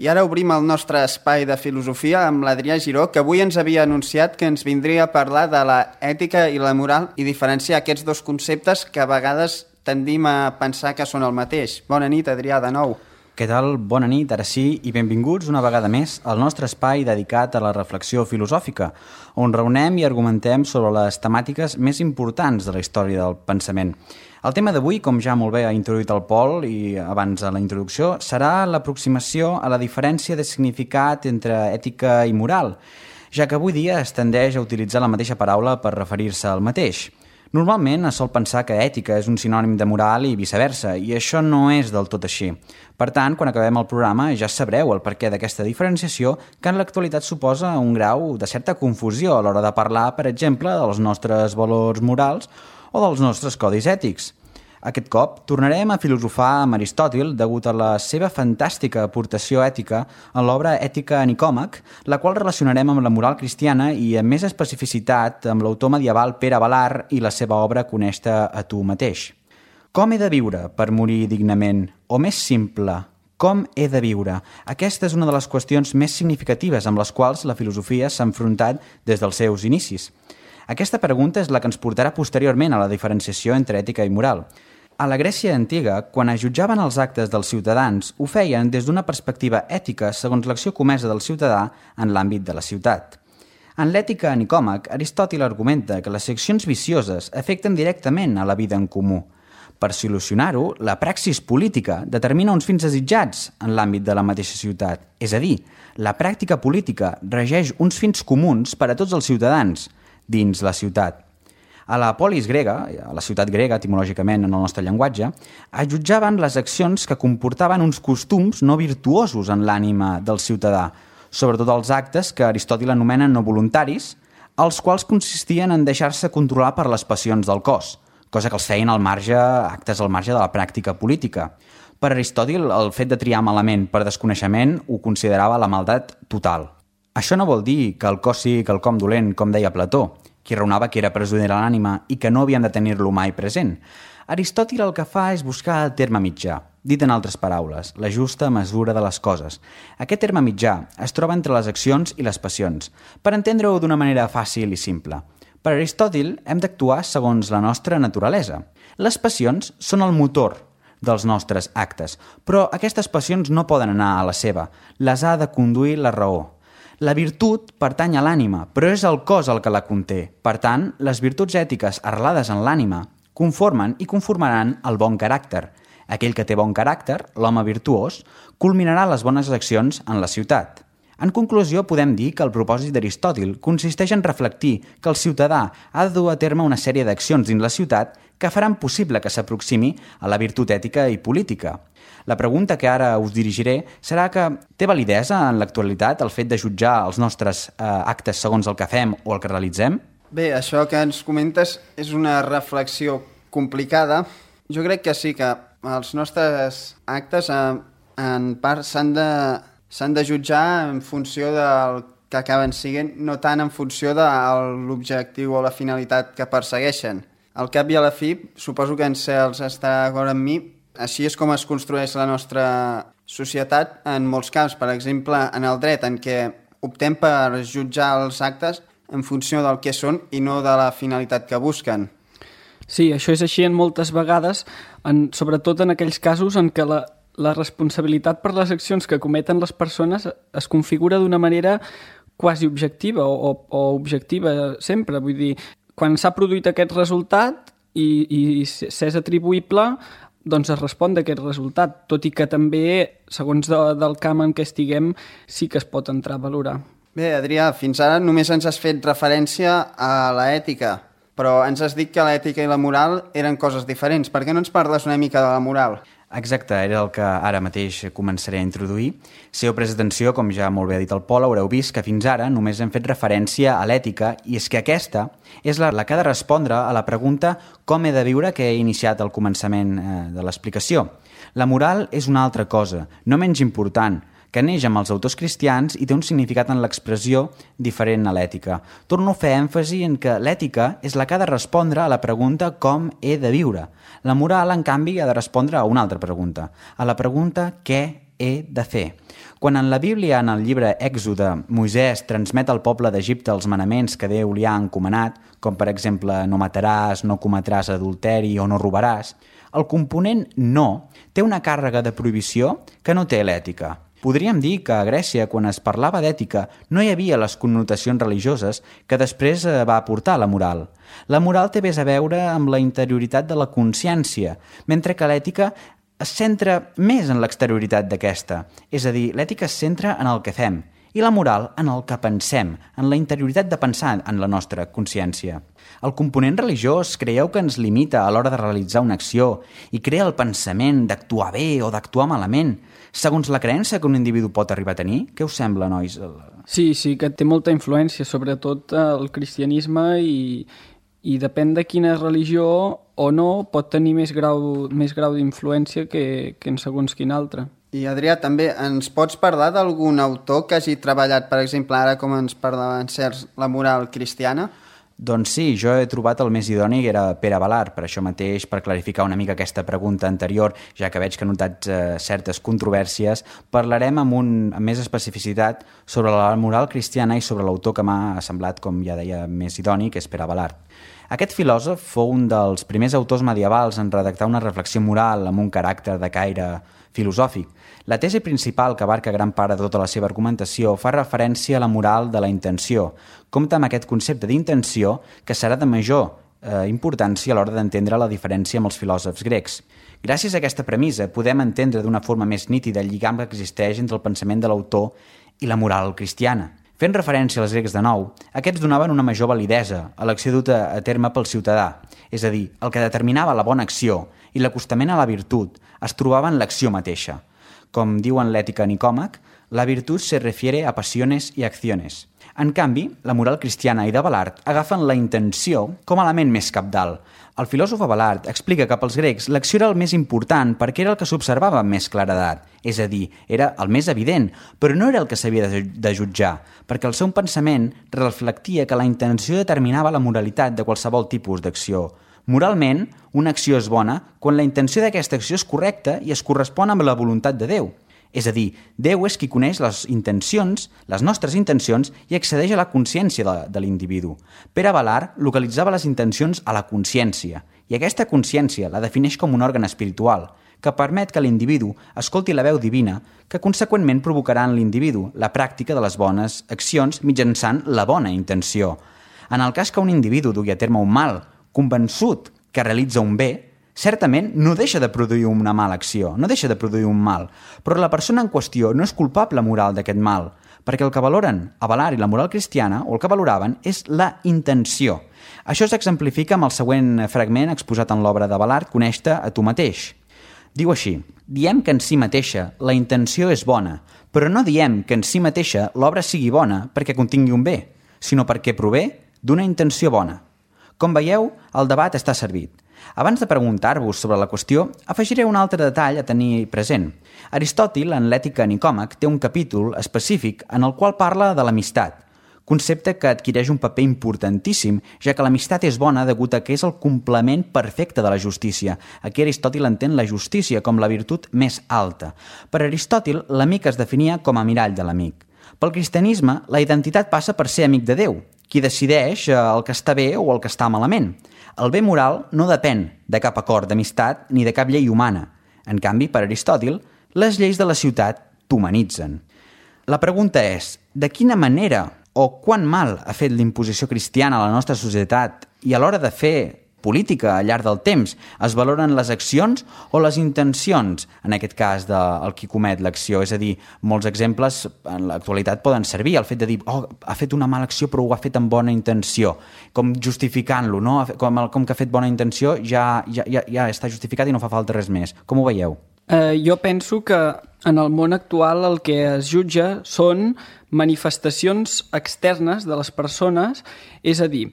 S2: I ara obrim el nostre espai de filosofia amb l'Adrià Giró, que avui ens havia anunciat que ens vindria a parlar de la ètica i la moral i diferenciar aquests dos conceptes que a vegades tendim a pensar que són el mateix. Bona nit, Adrià, de nou.
S3: Què tal? Bona nit, ara sí, i benvinguts una vegada més al nostre espai dedicat a la reflexió filosòfica, on reunem i argumentem sobre les temàtiques més importants de la història del pensament. El tema d'avui, com ja molt bé ha introduït el Pol i abans de la introducció, serà l'aproximació a la diferència de significat entre ètica i moral, ja que avui dia es tendeix a utilitzar la mateixa paraula per referir-se al mateix. Normalment es sol pensar que ètica és un sinònim de moral i viceversa, i això no és del tot així. Per tant, quan acabem el programa ja sabreu el perquè d'aquesta diferenciació que en l'actualitat suposa un grau de certa confusió a l'hora de parlar, per exemple, dels nostres valors morals o dels nostres codis ètics. Aquest cop tornarem a filosofar amb Aristòtil degut a la seva fantàstica aportació ètica en l'obra Ètica a Nicòmac, la qual relacionarem amb la moral cristiana i amb més especificitat amb l'autor medieval Pere Abelar i la seva obra Coneix-te a tu mateix. Com he de viure per morir dignament? O més simple, com he de viure? Aquesta és una de les qüestions més significatives amb les quals la filosofia s'ha enfrontat des dels seus inicis. Aquesta pregunta és la que ens portarà posteriorment a la diferenciació entre ètica i moral. A la Grècia antiga, quan es jutjaven els actes dels ciutadans, ho feien des d'una perspectiva ètica segons l'acció comesa del ciutadà en l'àmbit de la ciutat. En l'Ètica a Nicòmac, Aristòtil argumenta que les accions vicioses afecten directament a la vida en comú. Per solucionar-ho, la praxis política determina uns fins desitjats en l'àmbit de la mateixa ciutat. És a dir, la pràctica política regeix uns fins comuns per a tots els ciutadans dins la ciutat. A la polis grega, a la ciutat grega, etimològicament en el nostre llenguatge, es jutjaven les accions que comportaven uns costums no virtuosos en l'ànima del ciutadà, sobretot els actes que Aristòtil anomena no voluntaris, els quals consistien en deixar-se controlar per les passions del cos, cosa que els feien actes al marge de la pràctica política. Per Aristòtil, el fet de triar malament per desconeixement ho considerava la maldat total. Això no vol dir que el cos sigui quelcom dolent, com deia Plató, qui raonava que era presoner l'ànima i que no havíem de tenir-lo mai present. Aristòtil el que fa és buscar el terme mitjà. Dit en altres paraules, la justa mesura de les coses. Aquest terme mitjà es troba entre les accions i les passions, per entendre-ho d'una manera fàcil i simple. Per Aristòtil, hem d'actuar segons la nostra naturalesa. Les passions són el motor dels nostres actes, però aquestes passions no poden anar a la seva, les ha de conduir la raó. La virtut pertany a l'ànima, però és el cos el que la conté. Per tant, les virtuts ètiques arrelades en l'ànima conformen i conformaran el bon caràcter. Aquell que té bon caràcter, l'home virtuós, culminarà les bones accions en la ciutat. En conclusió, podem dir que el propòsit d'Aristòtil consisteix en reflectir que el ciutadà ha de dur a terme una sèrie d'accions dins la ciutat que faran possible que s'aproximi a la virtut ètica i política. La pregunta que ara us dirigiré serà que té validesa en l'actualitat el fet de jutjar els nostres actes segons el que fem o el que realitzem?
S2: Bé, això que ens comentes és una reflexió complicada. Jo crec que sí, que els nostres actes en part s'han de jutjar en funció del que acaben siguent, no tant en funció de l'objectiu o la finalitat que persegueixen. Al cap i a la fi, suposo que en Cels estarà d'acord amb mi, així és com es construeix la nostra societat en molts camps. Per exemple, en el dret, en què optem per jutjar els actes en funció del que són i no de la finalitat que busquen.
S6: Sí, això és així en moltes vegades, sobretot en aquells casos en què la responsabilitat per les accions que cometen les persones es configura d'una manera quasi objectiva o objectiva sempre. Vull dir, quan s'ha produït aquest resultat i s'és atribuïble, doncs es respon d'aquest resultat, tot i que també, segons del camp en què estiguem, sí que es pot entrar a valorar.
S2: Bé, Adrià, fins ara només ens has fet referència a l'ètica, però ens has dit que l'ètica i la moral eren coses diferents. Per què no ens parles una mica de la moral?
S3: Exacte, era el que ara mateix començaré a introduir. Si heu pres atenció, com ja molt bé ha dit el Pol, haureu vist que fins ara només hem fet referència a l'ètica i és que aquesta és la que ha de respondre a la pregunta com he de viure que he iniciat al començament de l'explicació. La moral és una altra cosa, no menys important, que neix amb els autors cristians i té un significat en l'expressió diferent a l'ètica. Torno a fer èmfasi en que l'ètica és la que ha de respondre a la pregunta com he de viure. La moral, en canvi, ha de respondre a una altra pregunta, a la pregunta què he de fer. Quan en la Bíblia, en el llibre Èxode, Moisès transmet al poble d'Egipte els manaments que Déu li ha encomanat, com per exemple no mataràs, no cometràs adulteri o no robaràs, el component no té una càrrega de prohibició que no té l'ètica. Podríem dir que a Grècia, quan es parlava d'ètica, no hi havia les connotacions religioses que després va aportar la moral. La moral té més a veure amb la interioritat de la consciència, mentre que l'ètica es centra més en l'exterioritat d'aquesta. És a dir, l'ètica es centra en el que fem i la moral en el que pensem, en la interioritat de pensar en la nostra consciència. El component religiós creieu que ens limita a l'hora de realitzar una acció i crea el pensament d'actuar bé o d'actuar malament, segons la creença que un individu pot arribar a tenir? Què us sembla, nois?
S6: Sí, que té molta influència, sobretot el cristianisme, i depèn de quina religió o no pot tenir més grau d'influència que en segons quin altre.
S2: I Adrià, també ens pots parlar d'algun autor que hagi treballat, per exemple, ara com ens parlava en Cels, la moral cristiana?
S3: Doncs sí, jo he trobat el més idoni, que era Pere Balart, per això mateix, per clarificar una mica aquesta pregunta anterior, ja que veig que ha notat certes controvèrsies, parlarem amb més especificitat sobre la moral cristiana i sobre l'autor que m'ha semblat, com ja deia, més idoni, que és Pere Balart. Aquest filòsof fou un dels primers autors medievals en redactar una reflexió moral amb un caràcter de caire filosòfic. La tesi principal, que abarca gran part de tota la seva argumentació, fa referència a la moral de la intenció. Compta amb aquest concepte d'intenció que serà de major importància a l'hora d'entendre la diferència amb els filòsofs grecs. Gràcies a aquesta premissa podem entendre d'una forma més nítida el lligam que existeix entre el pensament de l'autor i la moral cristiana. Fent referència als grecs de nou, aquests donaven una major validesa a l'acció duta a terme pel ciutadà, és a dir, el que determinava la bona acció i l'acostament a la virtut es trobava en l'acció mateixa. Com diu en l'Ètica Nicòmac, la virtud se refiere a pasiones y acciones. En canvi, la moral cristiana i de Balart agafen la intenció com a element més cabdal. El filòsof Balart explica que pels grecs l'acció era el més important perquè era el que s'observava amb més claredat, és a dir, era el més evident, però no era el que s'havia de jutjar, perquè el seu pensament reflectia que la intenció determinava la moralitat de qualsevol tipus d'acció Moralment, una acció és bona quan la intenció d'aquesta acció és correcta i es correspon amb la voluntat de Déu. És a dir, Déu és qui coneix les intencions, les nostres intencions, i accedeix a la consciència de l'individu. Pere Balart localitzava les intencions a la consciència, i aquesta consciència la defineix com un òrgan espiritual, que permet que l'individu escolti la veu divina, que conseqüentment provocarà en l'individu la pràctica de les bones accions mitjançant la bona intenció. En el cas que un individu dugui a terme un mal, convençut que realitza un bé, certament no deixa de produir una mala acció, no deixa de produir un mal, però la persona en qüestió no és culpable moral d'aquest mal, perquè el que valoren a Balart i la moral cristiana, o el que valoraven, és la intenció. Això s'exemplifica amb el següent fragment exposat en l'obra de Balart, Coneix-te a tu mateix. Diu així: diem que en si mateixa la intenció és bona, però no diem que en si mateixa l'obra sigui bona perquè contingui un bé, sinó perquè prové d'una intenció bona. Com veieu, el debat està servit. Abans de preguntar-vos sobre la qüestió, afegiré un altre detall a tenir present. Aristòtil, en l'Ètica Nicòmac, té un capítol específic en el qual parla de l'amistat, concepte que adquireix un paper importantíssim, ja que l'amistat és bona degut a que és el complement perfecte de la justícia. Aquí Aristòtil entén la justícia com la virtut més alta. Per Aristòtil, l'amic es definia com a mirall de l'amic. Pel cristianisme, la identitat passa per ser amic de Déu, qui decideix el que està bé o el que està malament. El bé moral no depèn de cap acord d'amistat ni de cap llei humana. En canvi, per Aristòtil, les lleis de la ciutat t'humanitzen. La pregunta és, de quina manera o quant mal ha fet l'imposició cristiana a la nostra societat i a l'hora de fer política al llarg del temps? Es valoren les accions o les intencions, en aquest cas del qui comet l'acció? És a dir, molts exemples en l'actualitat poden servir, el fet de dir ha fet una mala acció però ho ha fet amb bona intenció, com justificant-lo, no? Com que ha fet bona intenció ja està justificat i no fa falta res més. Com ho veieu?
S6: Jo penso que en el món actual el que es jutja són manifestacions externes de les persones, és a dir,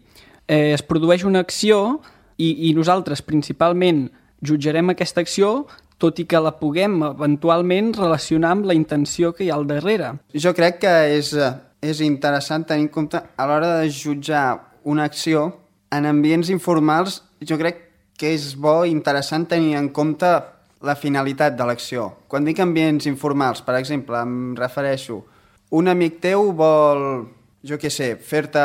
S6: es produeix una acció i nosaltres principalment jutjarem aquesta acció, tot i que la puguem eventualment relacionar amb la intenció que hi ha al darrere.
S2: Jo crec que és interessant tenir en compte a l'hora de jutjar una acció en ambients informals. Jo crec que és bo i interessant tenir en compte la finalitat de l'acció. Quan dic ambients informals, per exemple, em refereixo un amic teu vol, jo què sé, fer-te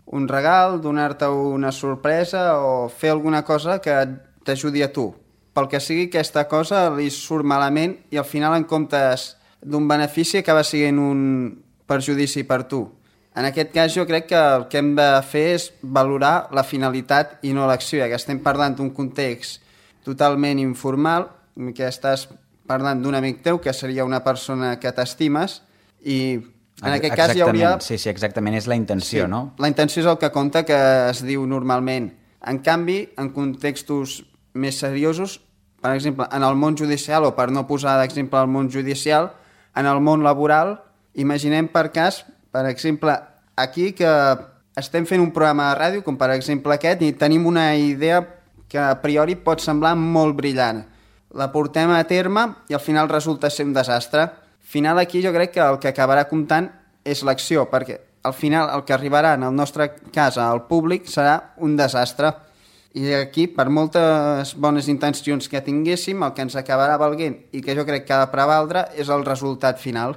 S2: un regal, donar-te una sorpresa o fer alguna cosa que t'ajudi a tu. Pel que sigui, aquesta cosa li surt malament i al final, en comptes d'un benefici, acaba sent un perjudici per tu. En aquest cas, jo crec que el que hem de fer és valorar la finalitat i no l'acció, ja que estem parlant d'un context totalment informal, que estàs parlant d'un amic teu, que seria una persona que t'estimes, i en aquest cas hi hauria...
S3: Sí, exactament, és la intenció, sí, no?
S2: La intenció és el que compta, que es diu normalment. En canvi, en contextos més seriosos, per exemple, en el món judicial, o per no posar d'exemple el món judicial, en el món laboral, imaginem per cas, per exemple, aquí que estem fent un programa de ràdio, com per exemple aquest, i tenim una idea que a priori pot semblar molt brillant. La portem a terme i al final resulta ser un desastre. Al final aquí jo crec que el que acabarà comptant és l'acció, perquè al final el que arribarà en el nostre cas al públic serà un desastre. I aquí, per moltes bones intencions que tinguéssim, el que ens acabarà valent i que jo crec que ha de prevaldre és el resultat final.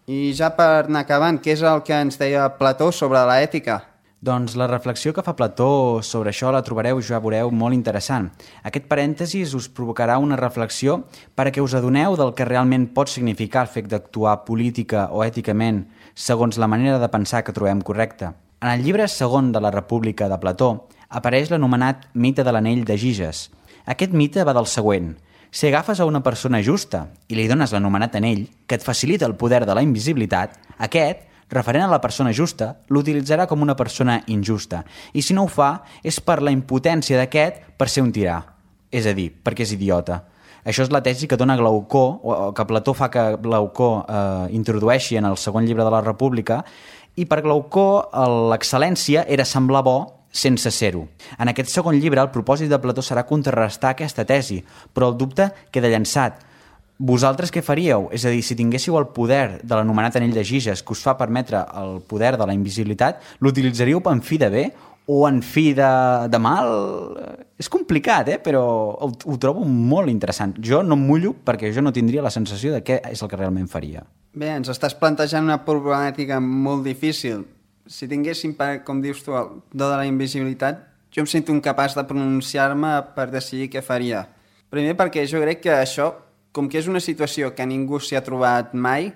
S2: I ja per anar acabant, què és el que ens deia Plató sobre l'ètica?
S3: Doncs la reflexió que fa Plató sobre això la trobareu, ja veureu, molt interessant. Aquest parèntesis us provocarà una reflexió perquè us adoneu del que realment pot significar el fet d'actuar política o èticament segons la manera de pensar que trobem correcta. En el llibre segon de la República de Plató apareix l'anomenat mite de l'anell de Giges. Aquest mite va del següent: si agafes a una persona justa i li dones l'anomenat anell, que et facilita el poder de la invisibilitat, aquest, referent a la persona justa, l'utilitzarà com una persona injusta, i si no ho fa és per la impotència d'aquest per ser un tirà, és a dir, perquè és idiota. Això és la tesi que dona Glaucó, o que Plató fa que Glaucó introdueixi en el segon llibre de la República, i per Glaucó l'excel·lència era semblar bo sense ser-ho. En aquest segon llibre el propòsit de Plató serà contrarrestar aquesta tesi, però el dubte queda llançat. Vosaltres què faríeu? És a dir, si tinguéssiu el poder de l'anomenat anell de Giges que us fa permetre el poder de la invisibilitat, l'utilitzaríeu en fi de bé o en fi de mal? És complicat, però ho trobo molt interessant. Jo no em mullo perquè jo no tindria la sensació de què és el que realment faria.
S2: Bé, ens estàs plantejant una problemàtica molt difícil. Si tinguéssim, com dius tu, el do de la invisibilitat, jo em sento incapaç de pronunciar-me per decidir què faria. Primer perquè jo crec que això, com que és una situació que ningú s'hi ha trobat mai,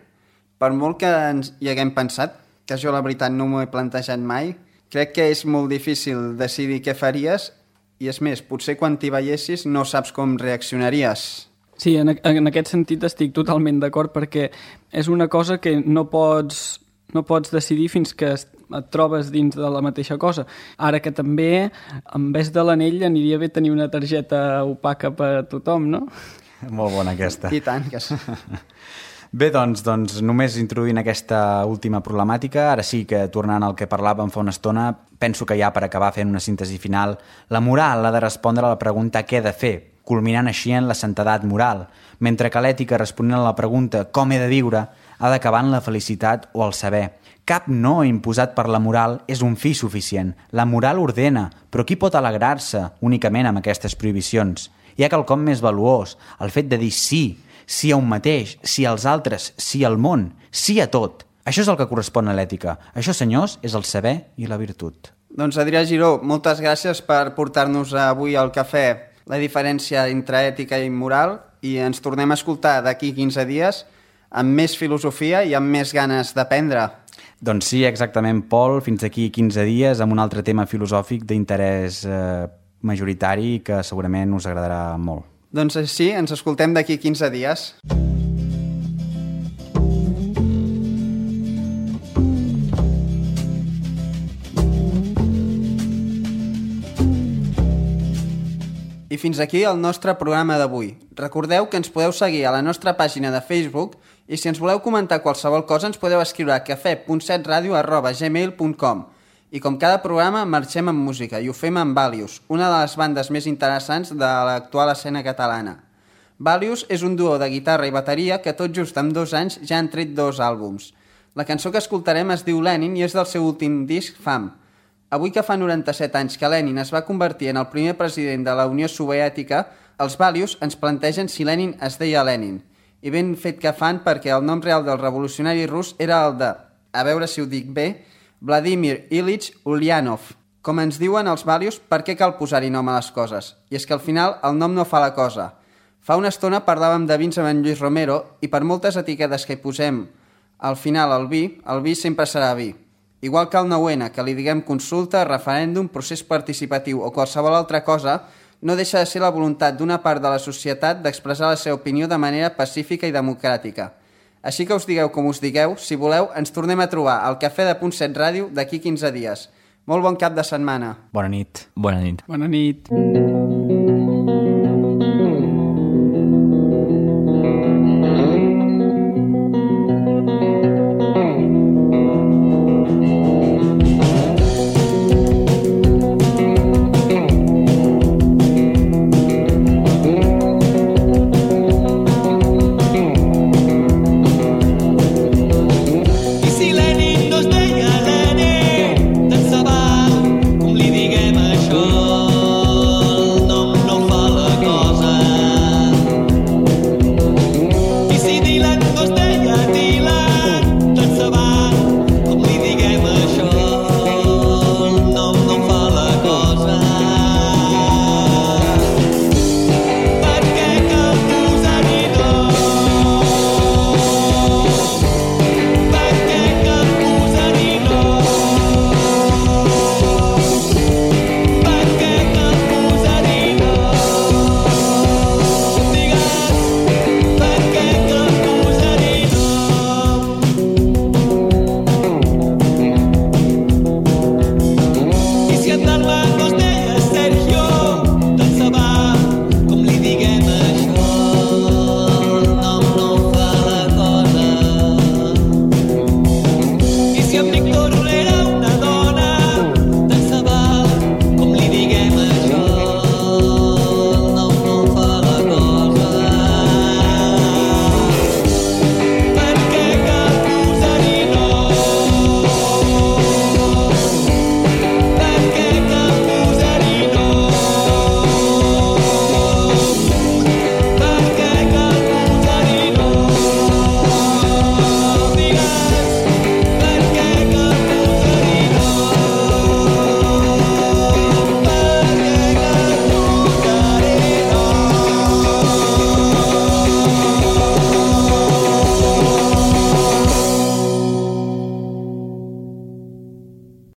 S2: per molt que ens hi haguem pensat, que jo la veritat no m'ho he plantejat mai, crec que és molt difícil decidir què faries i és més, potser quan t'hi veiessis no saps com reaccionaries.
S6: Sí, en aquest sentit estic totalment d'acord perquè és una cosa que no pots decidir fins que et trobes dins de la mateixa cosa. Ara que també, en vez de l'anell, aniria bé tenir una targeta opaca per a tothom, no?
S3: Molt bona aquesta.
S2: I tant, que sí.
S3: Bé, doncs només introduint aquesta última problemàtica, ara sí que tornant al que parlàvem fa una estona, penso que ja per acabar fent una síntesi final, la moral ha de respondre a la pregunta què he de fer, culminant així en la santedat moral, mentre que l'ètica responent a la pregunta com he de viure ha d'acabar en la felicitat o el saber. Cap no imposat per la moral és un fi suficient. La moral ordena, però qui pot alegrar-se únicament amb aquestes prohibicions? Hi ha quelcom més valuós, el fet de dir sí a un mateix, sí als altres, sí al món, sí a tot. Això és el que correspon a l'ètica. Això, senyors, és el saber i la virtut.
S2: Doncs Adrià Giró, moltes gràcies per portar-nos avui al cafè la diferència entre ètica i moral i ens tornem a escoltar d'aquí 15 dies amb més filosofia i amb més ganes d'aprendre.
S3: Doncs sí, exactament, Pol, fins d'aquí 15 dies amb un altre tema filosòfic d'interès majoritari que segurament us agradarà molt.
S2: Doncs sí, ens escoltem d'aquí 15 dies. I fins aquí el nostre programa d'avui. Recordeu que ens podeu seguir a la nostra pàgina de Facebook i si ens voleu comentar qualsevol cosa ens podeu escriure a cafè.setradio@gmail.com. I com cada programa marxem amb música i ho fem amb Valius, una de les bandes més interessants de l'actual escena catalana. Valius és un duo de guitarra i bateria que tot just en 2 anys ja han tret 2 àlbums. La cançó que escoltarem es diu Lenin i és del seu últim disc Fam. Avui que fa 97 anys que Lenin es va convertir en el primer president de la Unió Soviètica, els Valius ens plantegen si Lenin es deia Lenin. I ben fet que fan perquè el nom real del revolucionari rus era el de, a veure si ho dic bé, Vladimir Ilich Ulyanov. Com ens diuen els Valius, per què cal posar-hi nom a les coses? I és que al final el nom no fa la cosa. Fa una estona parlàvem de vins amb en Lluís Romero i per moltes etiquetes que hi posem al final el vi sempre serà vi. Igual que el 9N, que li diguem consulta, referèndum, procés participatiu o qualsevol altra cosa, no deixa de ser la voluntat d'una part de la societat d'expressar la seva opinió de manera pacífica i democràtica. Així que us digueu com us digueu, si voleu, ens tornem a trobar al Cafè de Punt 7 Ràdio d'aquí 15 dies. Molt bon cap de setmana.
S3: Bona nit.
S4: Bona nit.
S6: Bona nit.